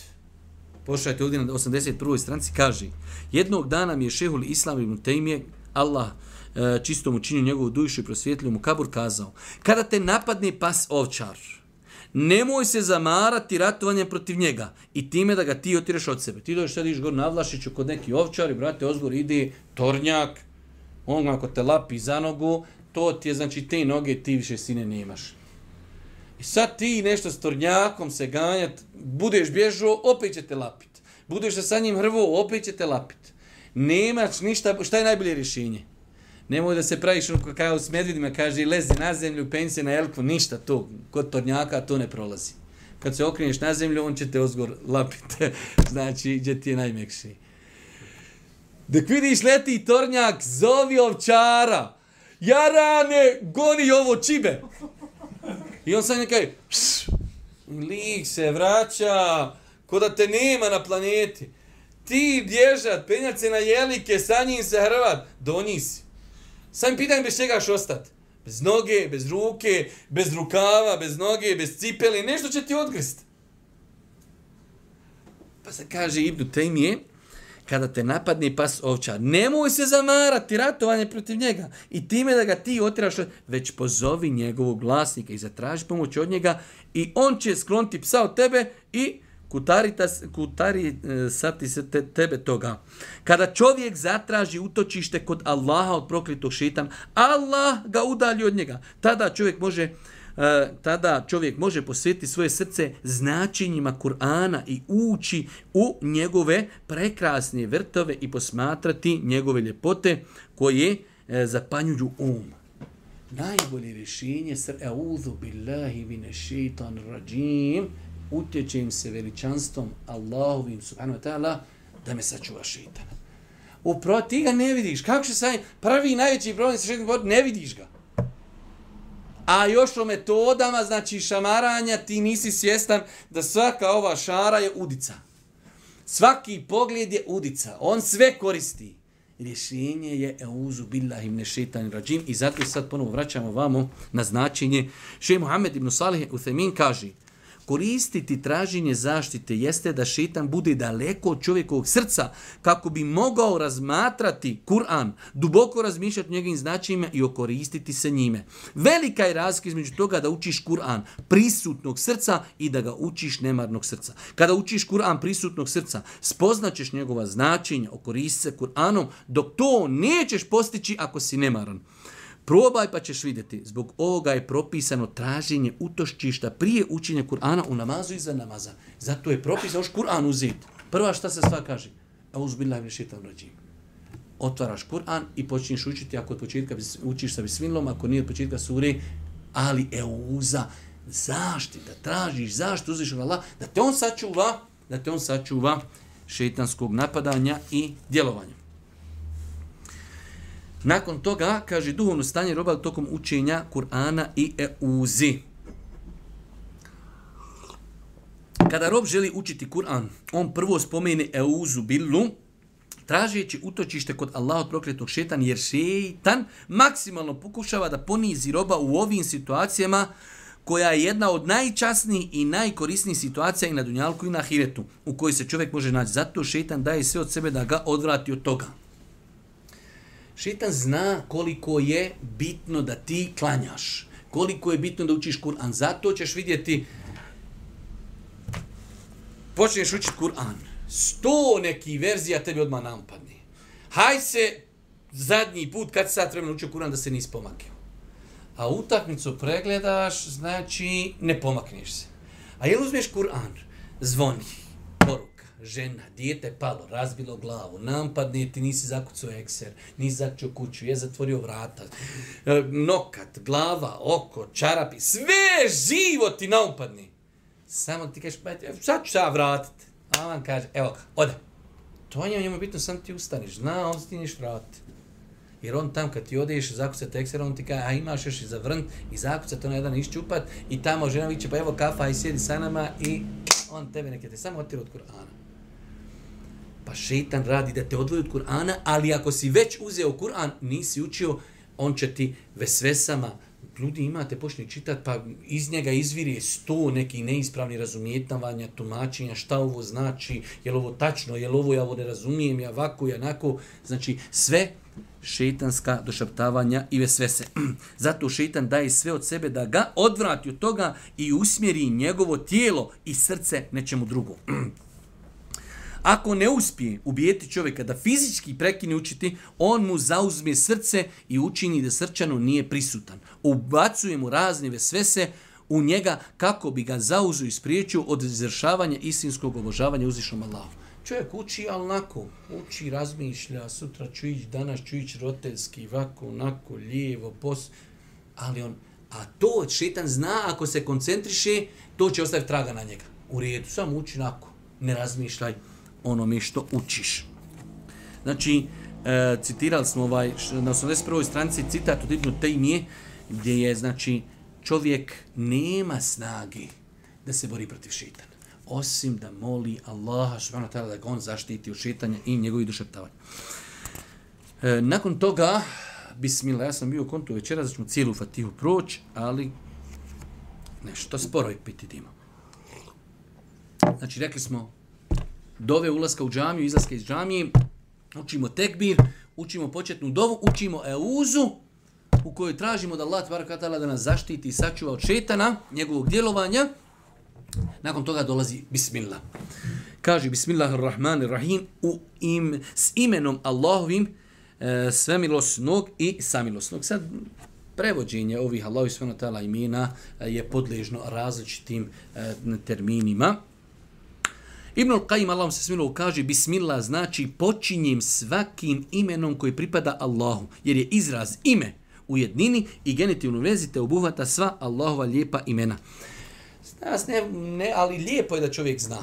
Pošajte ovdje na osamdeset prvoj stranici, kaže, jednog dana mi je šehul Islam Ibn Taymije, Allah čisto mu činio njegovu dušu i prosvjetlio mu kabur, kazao, kada te napadne pas ovčar, nemoj se zamarati ratovanjem protiv njega i time da ga ti otireš od sebe. Ti dođeš sad iš gor na Vlašiću kod neki ovčar i brate ozgor ide tornjak, on ako te lapi za nogu, to ti je, znači, te noge ti više sine nemaš. I sad ti nešto s tornjakom se ganjat, budeš bježao, opet će te lapit. Budeš se sa njim hrvo, opet će te lapit. Nemaš ništa, šta je najbolje rješenje? Nemoj da se praviš kao s medvidima, kaže, lezi na zemlju, penj se na jelku, ništa to. Kod tornjaka to ne prolazi. Kad se okreneš na zemlju, on će te ozgor lapiti. Znači, gdje ti je najmekši. Dok vidiš leti tornjak, zovi ovčara. Jarane, goni ovo čibe. I on sad nekaj, lik se vraća, ko da te nema na planeti. Ti bježat, penjat se na jelike, sa njim se hrvat, do njih si. Sam pitanj bez čega ćeš ostati. Bez noge, bez ruke, bez rukava, bez noge, bez cipeli, nešto će ti odgrist. Pa se kaže Ibn Taymije, kada te napadne pas ovčar, nemoj se zamarati ratovanje protiv njega i time da ga ti otiraš, već pozovi njegovog vlasnika i zatraži pomoć od njega i on će skloniti psa od tebe i kutari, kutari sati se te, tebe toga. Kada čovjek zatraži utočište kod Allaha od proklitog šejtana, Allah ga udalji od njega. Tada čovjek može Uh, tada čovjek može posvetiti svoje srce značenjima Kur'ana i ući u njegove prekrasne vrtove i posmatrati njegove ljepote koje uh, zapanjuju um. Najbolje rješenje sr A'udhu billahi minash shaitanir rajim, utječem se veličanstvom Allahovim subhanahu wa ta'ala da me sačuva šejtana. Upravo ti ga ne vidiš. Kako će sad prvi najveći problem sa šejtanom, ne vidiš ga. A još o metodama, znači šamaranja, ti nisi svjestan da svaka ova šara je udica. Svaki pogled je udica. On sve koristi. Rješenje je Euzu billahi mine šeitanir rajim i zato sad ponovo vraćamo vamo na značenje. Šejh Muhammed ibn Salih Uthejmin kaže, Koristiti traženje zaštite jeste da šejtan bude daleko od čovjekovog srca kako bi mogao razmatrati Kur'an, duboko razmišljati o njegovim značajima i okoristiti se njime. Velika je razlika između toga da učiš Kur'an prisutnog srca i da ga učiš nemarnog srca. Kada učiš Kur'an prisutnog srca, spoznaćeš njegova značenja, okoristi se Kur'anom, dok to nećeš postići ako si nemaran. Probaj pa ćeš vidjeti. Zbog ovoga je propisano traženje utoščišta prije učenja Kur'ana u namazu i za namaza. Zato je propisano još Kur'an uzeti. Prva šta se sva kaže? Auzubillahi minaš šejtanir racim. Otvaraš Kur'an i počinješ učiti, ako od početka učiš sa bismilom, ako nije od početka sure, ali euza, zaštita, tražiš zaštitu, uzvišenog Allaha, da te on sačuva, da te on sačuva šejtanskog napadanja i djelovanja. Nakon toga, kaže, duhovno stanje roba tokom učenja Kur'ana i euzi. Kada rob želi učiti Kur'an, on prvo spomene euzu billu, tražeći utočište kod Allaha od prokletog šejtana, jer šejtan maksimalno pokušava da ponizi roba u ovim situacijama, koja je jedna od najčasnijih i najkorisnijih situacija i na dunjalku i na ahiretu, u kojoj se čovjek može naći. Zato šejtan daje sve od sebe da ga odvrati od toga. Šejtan zna koliko je bitno da ti klanjaš, koliko je bitno da učiš Kur'an. Zato ćeš vidjeti, počneš učiti Kur'an, sto nekih verzija tebi odmah napadne. Haj se zadnji put kad sad vremena učio Kur'an da se nisi pomakio. A utakmicu pregledaš, znači ne pomakneš se. A jel uzmeš Kur'an, zvoni, poruka, žena, dijete palo, razbilo glavu, nampadne ti, nisi zakucao ekser, nisi zakucao kuću, je zatvorio vrata, nokat, glava, oko, čarapi, sve živo ti naumpadne. Samo ti kažeš, sad ću ja vratiti. A on kaže, evo ga, ode. To je njemu bitno, sam ti ustaniš, zna, on ti niš vratiti. Jer on tam kad ti odeš, zakucati ekser, on ti kaže, a imaš još i zavrnt i zakucati, on jedan iščupat i tamo žena viće, pa evo kafa i sjedi sa nama i on tebe neke te samo otira od Kur'ana. Pa šejtan radi da te odvoji od Kur'ana, ali ako si već uzeo Kur'an, nisi učio, on će ti vesvesama, ljudi imate, počni čitati, pa iz njega izviri sto nekih neispravnih razumijetavanja, tumačenja, šta ovo znači, je li ovo tačno, je li ovo ja ovo ne razumijem, ja ovako i onako, znači sve šejtanska došaptavanja i vesvese. Zato šejtan daje sve od sebe da ga odvrati od toga i usmjeri njegovo tijelo i srce nečemu drugom. Ako ne uspije ubijeti čovjeka da fizički prekine učiti, on mu zauzme srce i učini da srčano nije prisutan. Ubacuje mu razne vesvese u njega kako bi ga zauzu i spriječio od izvršavanja istinskog obožavanja uzvišenom Allahu. Čovjek uči, ali onako, uči, razmišlja, sutra ću ići, danas ću ići roditeljski, ovako, onako, lijevo, pos... Ali on, a to šejtan zna, ako se koncentriše, to će ostaviti traga na njega. U redu, samo uči onako, ne razmišljaj onome što učiš. Znači, e, citirali smo ovaj, na osamdeset prvoj stranici citat od Ibn Taymije, gdje je, znači, čovjek nema snage da se bori protiv šejtana, osim da moli Allaha subhanahu wa ta'ala da ga on zaštiti od šejtanja i njegovih došaptavanja. E, nakon toga, bismillah, ja sam bio u kontu večera, da ćemo cijelu Fatihu proći, ali nešto sporo je piti dima. Znači, rekli smo, dove ulaska u džamiju, izlaska iz džamije, učimo tekbir, učimo početnu dovu, učimo euzu, u kojoj tražimo da Allah tbaraka ta'ala da nas zaštiti i sačuva od šejtana, njegovog djelovanja. Nakon toga dolazi bismillah. Kaže bismillahirrahmanirrahim, u im, s imenom Allahovim, e, svemilosnog i samilosnog. Sad, prevođenje ovih Allahovih subhanahu wa ta'ala imena je podležno različitim e, terminima. Ibn al-Qayyim, Allahom se smilo, kaže bismillah znači počinjem svakim imenom koji pripada Allahu, jer je izraz ime u jednini i genitivnu vezi te obuhvata sva Allahova lijepa imena. Nas ne, ne, ali lijepo je da čovjek zna.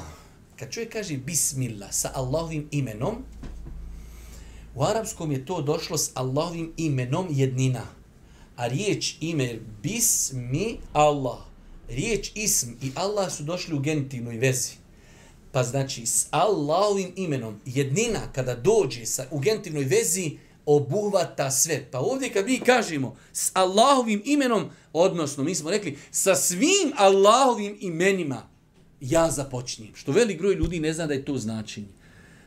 Kad čovjek kaže bismillah sa Allahovim imenom, u arapskom je to došlo s Allahovim imenom jednina. A riječ ime bismi Allah, riječ ism i Allah su došli u genitivnoj vezi. Pa znači s Allahovim imenom jednina kada dođe sa, u genitivnoj vezi obuhvata sve. Pa ovdje kad mi kažemo s Allahovim imenom, odnosno mi smo rekli sa svim Allahovim imenima, ja započinjem. Što velik broj ljudi ne zna da je to značenje.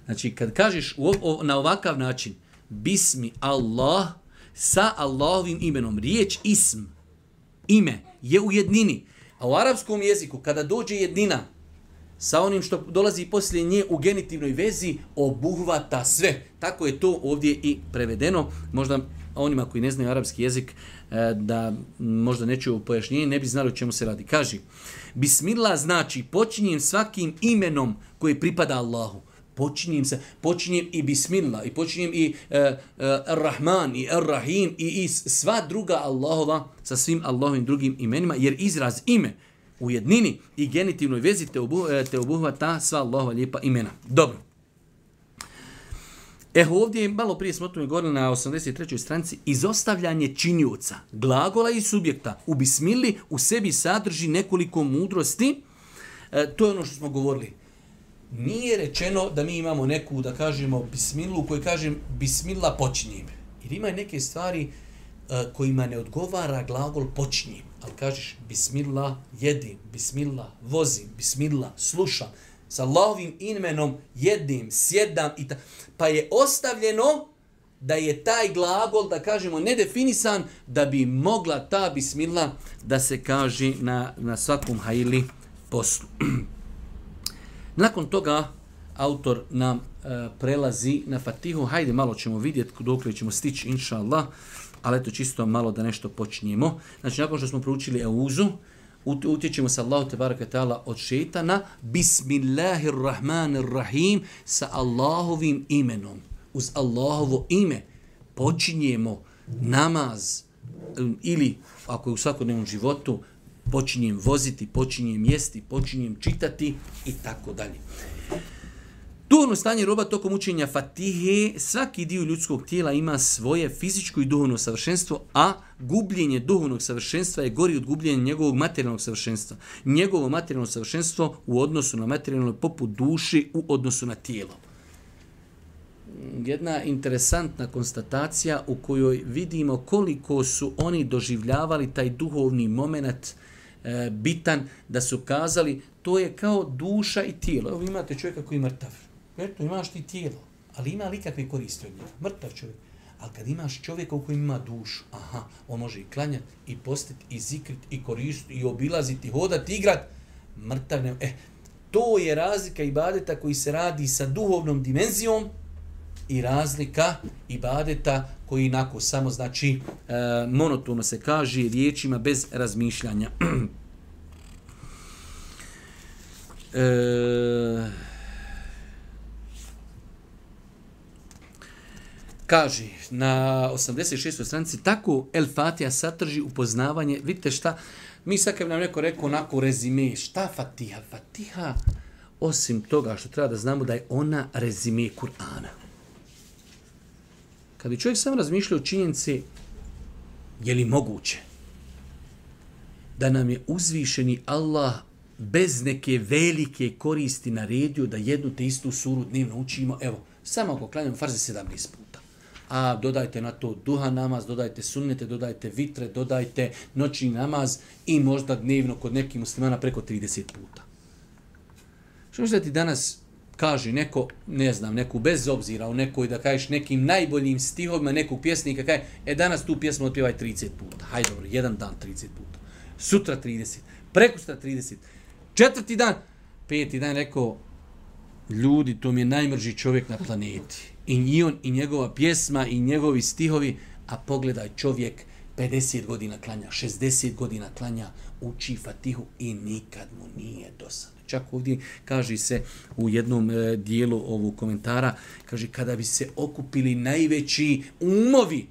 Znači, kad kažeš u, o, na ovakav način, Bismi Allah, sa Allahovim imenom, riječ ism, ime, je u jednini. A u arapskom jeziku, kada dođe jednina, sa onim što dolazi poslije nje u genitivnoj vezi, obuhvata sve. Tako je to ovdje i prevedeno. Možda onima koji ne znaju arapski jezik, da možda ne čuju pojašnjenje, ne bi znali o čemu se radi. Kaži, Bismillah znači počinjem svakim imenom koji pripada Allahu. Počinjem se, počinjem i Bismillah, i počinjem i uh, uh, Ar-Rahman, i Ar-Rahim, i, i sva druga Allahova sa svim Allahovim drugim imenima, jer izraz ime u jednini i genitivnoj vezi te, obu, te obuhvata sva Allahova lijepa imena. Dobro. E ovdje, malo prije smo o tome govorili na osamdeset trećoj stranici, izostavljanje činioca, glagola i subjekta u Bismilli u sebi sadrži nekoliko mudrosti. E, to je ono što smo govorili. Nije rečeno da mi imamo neku, da kažemo, Bismillu u kojoj kažem Bismillah počinjem. Jer ima neke stvari uh, kojima ne odgovara glagol počinjem. Ali kažeš Bismillah jedim, Bismillah vozim, Bismillah slušam. Sa Allahovim imenom jedim, sjedam i ta... Pa je ostavljeno da je taj glagol, da kažemo, nedefinisan, da bi mogla ta Bismillah da se kaže na, na svakom hajli poslu. Nakon toga autor nam e, prelazi na Fatihu. Hajde, malo ćemo vidjeti dokle ćemo stići, inša Allah, ali eto čisto malo da nešto počinjemo. Znači, nakon što smo proučili Euzu, utječemo sa Allahu tebaraka ta'ala od šetana, Bismillahirrahmanirrahim, sa Allahovim imenom. Uz Allahovo ime počinjemo namaz ili, ako je u svakodnevnom životu, počinjem voziti, počinjem jesti, počinjem čitati i tako dalje. Duhovno stanje roba tokom učenja Fatihe, svaki dio ljudskog tijela ima svoje fizičko i duhovno savršenstvo, a gubljenje duhovnog savršenstva je gori od gubljenja njegovog materijalnog savršenstva. Njegovo materijalno savršenstvo u odnosu na materijalno je poput duši u odnosu na tijelo. Jedna interesantna konstatacija u kojoj vidimo koliko su oni doživljavali taj duhovni moment e, bitan, da su kazali to je kao duša i tijelo. Evo imate čovjeka koji je mrtav. Eto, imaš ti tijelo, ali ima li kakve koristi od njega? Mrtav čovjek. Ali kad imaš čovjeka u kojem ima dušu, aha, on može i klanjati, i postiti, i zikriti, i koristiti, i obilaziti, i hodati, igrat, mrtav ne... E, to je razlika ibadeta koji se radi sa duhovnom dimenzijom i razlika ibadeta koji inako samo znači e, monotono se kaže riječima bez razmišljanja. e, Kaže na osamdeset šestoj stranici, tako El Fatiha sadrži upoznavanje. Vidite šta, mi sad kad nam neko rekao onako rezime, šta Fatiha? Fatiha, osim toga što treba da znamo da je ona rezime Kur'ana. Kad bi čovjek sam razmišljao o činjenici, je li moguće da nam je uzvišeni Allah bez neke velike koristi naredio da jednu te istu suru dnevno učimo, evo, samo ako klanjamo farze sedamnaest puta. A dodajte na to duha namaz, dodajte sunnete, dodajte vitre, dodajte noćni namaz i možda dnevno kod nekih muslimana preko trideset puta. Što misli da ti danas kaže neko, ne znam, neku bez obzira u nekoj, da kažeš nekim najboljim stihovima nekog pjesnika, kaže, e danas tu pjesmu otpjevaj trideset puta. Hajde dobro, jedan dan trideset puta. Sutra trideset, preko sutra trideset. Četvrti dan, peti dan rekao, ljudi, to mi je najmrži čovjek na planeti. I on, i njegova pjesma, i njegovi stihovi, a pogledaj čovjek, pedeset godina klanja, šezdeset godina klanja, uči Fatihu i nikad mu nije dosadno. Čak ovdje kaže se u jednom e, dijelu ovog komentara, kaže, kada bi se okupili najveći umovi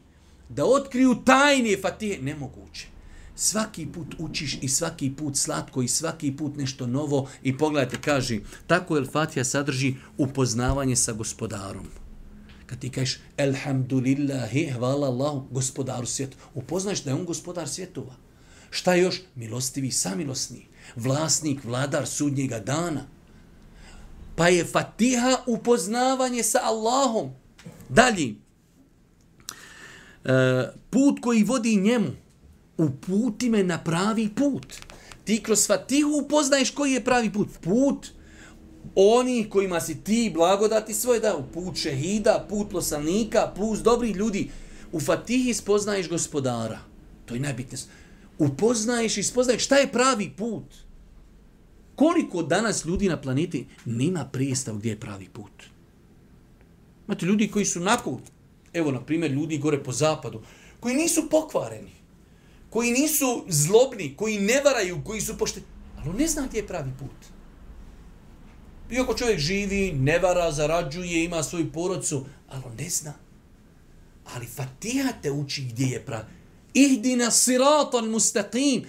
da otkriju tajne Fatihe, nemoguće. Svaki put učiš i svaki put slatko i svaki put nešto novo i pogledajte, kaže, tako El Fatiha sadrži upoznavanje sa gospodarom. Kad ti kažeš elhamdulillahi, hvala Allahu, gospodaru svijetu, upoznaješ da je on gospodar svjetova. Šta je još? Milostivi, samilosni, vlasnik, vladar sudnjega dana. Pa je Fatiha upoznavanje sa Allahom. Dalje, put koji vodi njemu, uputi me na pravi put. Ti kroz Fatihu upoznaješ koji je pravi put. Put oni kojima si ti blagodati svoje dao. Put šehida, put poslanika, put dobrih ljudi. U Fatihi spoznaješ gospodara. To je najbitnije. Upoznaješ i spoznaješ šta je pravi put. Koliko danas ljudi na planeti nema predstav gdje je pravi put. Imate ljudi koji su nakon, evo na primjer ljudi gore po zapadu, koji nisu pokvareni, koji nisu zlobni, koji ne varaju, koji su pošteni, ali on ne zna gdje je pravi put. Iako čovjek živi, ne vara, zarađuje, ima svoju porodcu, ali on ne zna. Ali Fatiha te uči gdje je pravi. Ihdina siratan mustaqim.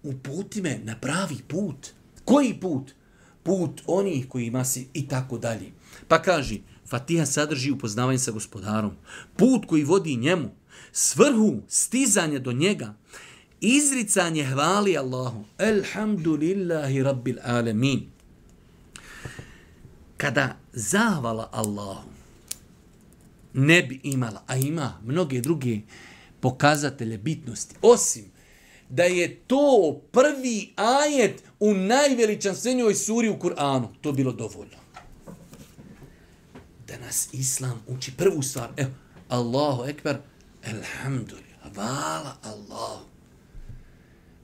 Uputi me na pravi put. Koji put? Put onih kojima si i tako dalje. Pa kaži, Fatiha sadrži upoznavanje sa gospodarom. Put koji vodi njemu. Svrhu, stizanje do njega. Izricanje hvali Allahu. Elhamdulillahi rabbil alamin. Kada zahvala Allahu ne bi imala, a ima mnoge druge pokazatelje bitnosti, osim da je to prvi ajet u najveličanstvenijoj suri u Kur'anu, to bilo dovoljno. Da nas Islam uči prvu stvar, evo, Allahu ekber, elhamdulillah, hvala Allahu.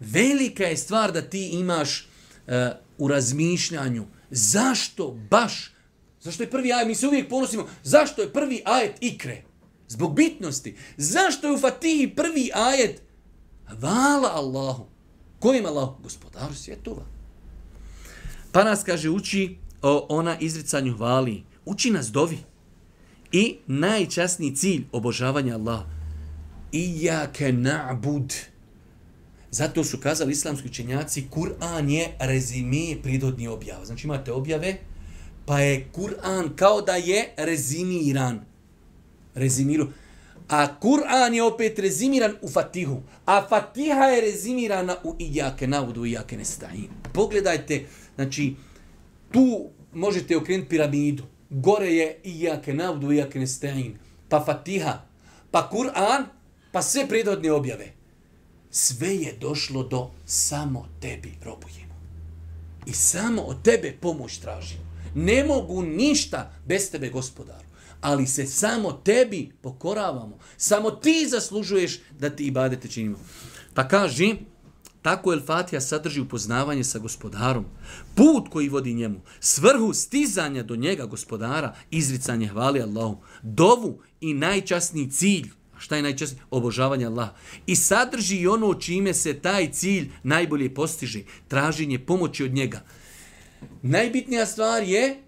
Velika je stvar da ti imaš uh, u razmišljanju, zašto baš, zašto je prvi ajet, mi se uvijek ponosimo, zašto je prvi ajet ikre? Zbog bitnosti. Zašto je u Fatihi prvi ajet hvala Allahu? Kojim Allahu? Gospodaru svjetova. Pa nas, kaže, uči o ona izricanju hvali. Uči nas dovi. I najčasniji cilj obožavanja Allaha. Iyake na'bud. Zato su kazali islamski učenjaci, Kur'an je rezime prirodnih objava. Znači imate objave, pa je Kur'an kao da je rezimiran. Rezimiru. A Kur'an je opet rezimiran u Fatihu. A Fatiha je rezimirana u Iyake na'budu wa Iyake nesta'in. Pogledajte, znači, tu možete okrenuti piramidu. Gore je Iyake na'budu wa Iyake nesta'in. Pa Fatiha, pa Kur'an, pa sve prirodne objave. Sve je došlo do samo tebi robujemo. I samo od tebe pomoć tražimo. Ne mogu ništa bez tebe, gospodaru. Ali se samo tebi pokoravamo. Samo ti zaslužuješ da ti ibadete činimo. Pa kaži, tako El Fatiha sadrži upoznavanje sa gospodarom. Put koji vodi njemu. Svrhu stizanja do njega, gospodara. Izricanje hvali Allahu. Dovu i najčasniji cilj. A šta je najčasnije? Obožavanje Allaha. I sadrži i ono čime se taj cilj najbolje postiže. Traženje pomoći od njega. Najbitnija stvar je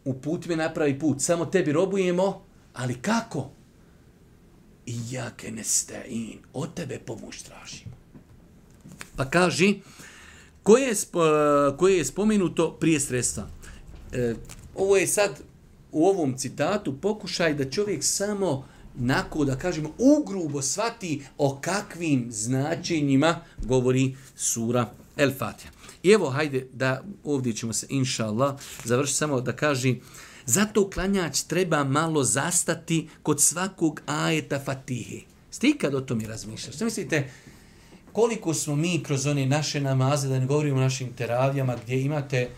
uputi me na pravi put. Samo tebi robujemo, ali kako? Iyake nesta'in. Od tebe pomoć tražimo. Pa kaži, koje je, spo, koje je spomenuto prije sredstva? E, ovo je sad u ovom citatu pokušaj da čovjek samo nako, da kažemo, ugrubo shvati o kakvim značenjima govori sura El Fatiha. I evo, hajde, da ovdje ćemo se, inša Allah, završiti samo da kaži, zato klanjač treba malo zastati kod svakog ajeta Fatihe. Ste ikad o tome razmišljali? Što mislite, koliko smo mi kroz one naše namaze, da ne govorimo o našim teravijama, gdje imate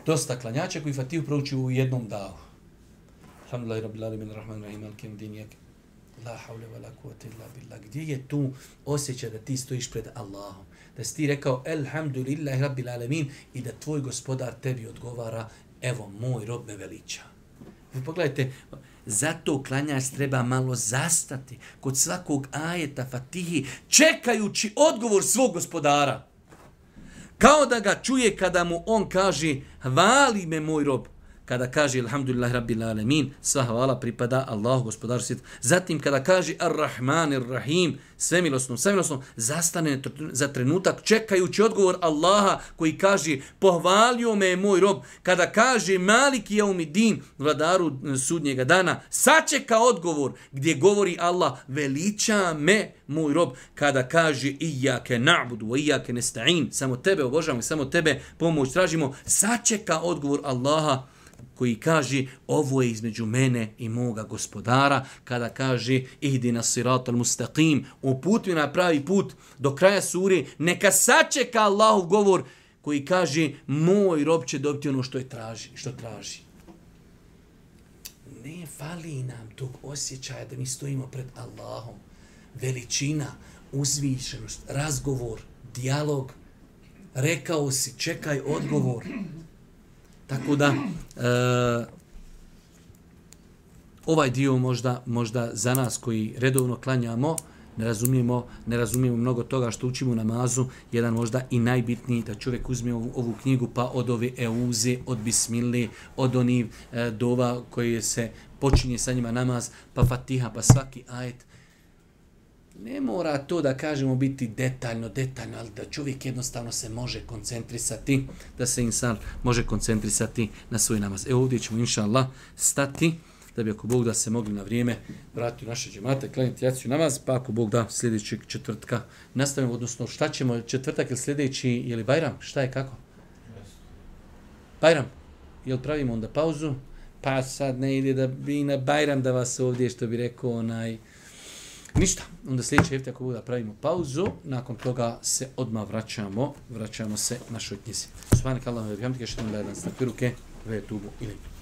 dosta klanjača koji Fatihu prouči u jednom davu. Alhamdulillahi rabbil alamin arrahmanir rahim maliki yawmiddin iyyaka la hawla wala quwwata illa billah. Gdje je tu osjećaj da ti stojiš pred Allahom? Da si ti rekao elhamdulillahi rabbil alamin i da tvoj gospodar tebi odgovara, evo moj rob me veliča. Vi pogledajte, zato klanjač treba malo zastati kod svakog ajeta Fatihi, čekajući odgovor svog gospodara. Kao da ga čuje kada mu on kaže, hvali me moj rob. Kada kaže alhamdulillahi rabbil alamin, sva hvala pripada Allahu gospodaru svijeta. Zatim kada kaže ar-Rahmanir Rahim, svemilosno, svemilosno, zastane za trenutak čekajući odgovor Allaha koji kaže pohvalio me moj rob. Kada kaže Maliki Jaumiddin, vladaru sudnjega dana, sačeka odgovor gdje govori Allah veliča me moj rob. Kada kaže Iyake na'budu wa Iyake nesta'in, samo tebe obožavamo, samo tebe pomoć tražimo, sačeka odgovor Allaha koji kaže ovo je između mene i moga gospodara, kada kaže ihdina siratal mustaqim, uputi na pravi put do kraja sure, neka sačeka Allahov govor koji kaže moj rob će dobiti ono što je traži, što traži. Ne fali nam tog osjećaja da mi stojimo pred Allahom. Veličina, uzvišenost, razgovor, dijalog, rekao si, čekaj odgovor. Tako da, e, ovaj dio možda, možda za nas koji redovno klanjamo, ne razumijemo, ne razumijemo mnogo toga što učimo u namazu, jedan možda i najbitniji da čovjek uzme ovu, ovu knjigu pa od ove euze, od bismile, od onih e, dova koje se počinje sa njima namaz, pa fatiha, pa svaki ajet. Ne mora to da kažemo biti detaljno, detaljno, ali da čovjek jednostavno se može koncentrisati, da se insan može koncentrisati na svoj namaz. Evo ovdje ćemo, inša Allah, stati, da bi ako Bog da se mogli na vrijeme vratiti u naše džemate, klanjati jaciju namaz, pa ako Bog da sljedećeg četvrtka nastavimo, odnosno šta ćemo, četvrtak ili sljedeći, je li Bajram, šta je, kako? Bajram, jel pravimo onda pauzu? Pa sad ne ide da bi na Bajram da vas ovdje, što bi rekao onaj, ništa, onda sljedeće hefte ako Bog da pravimo pauzu, nakon toga se odmah vraćamo, vraćamo se našoj knjizi. Subhanak Allahumma wa bihamdika, ashhadu an la ilaha illa anta, astaghfiruke wa atubu ilayk.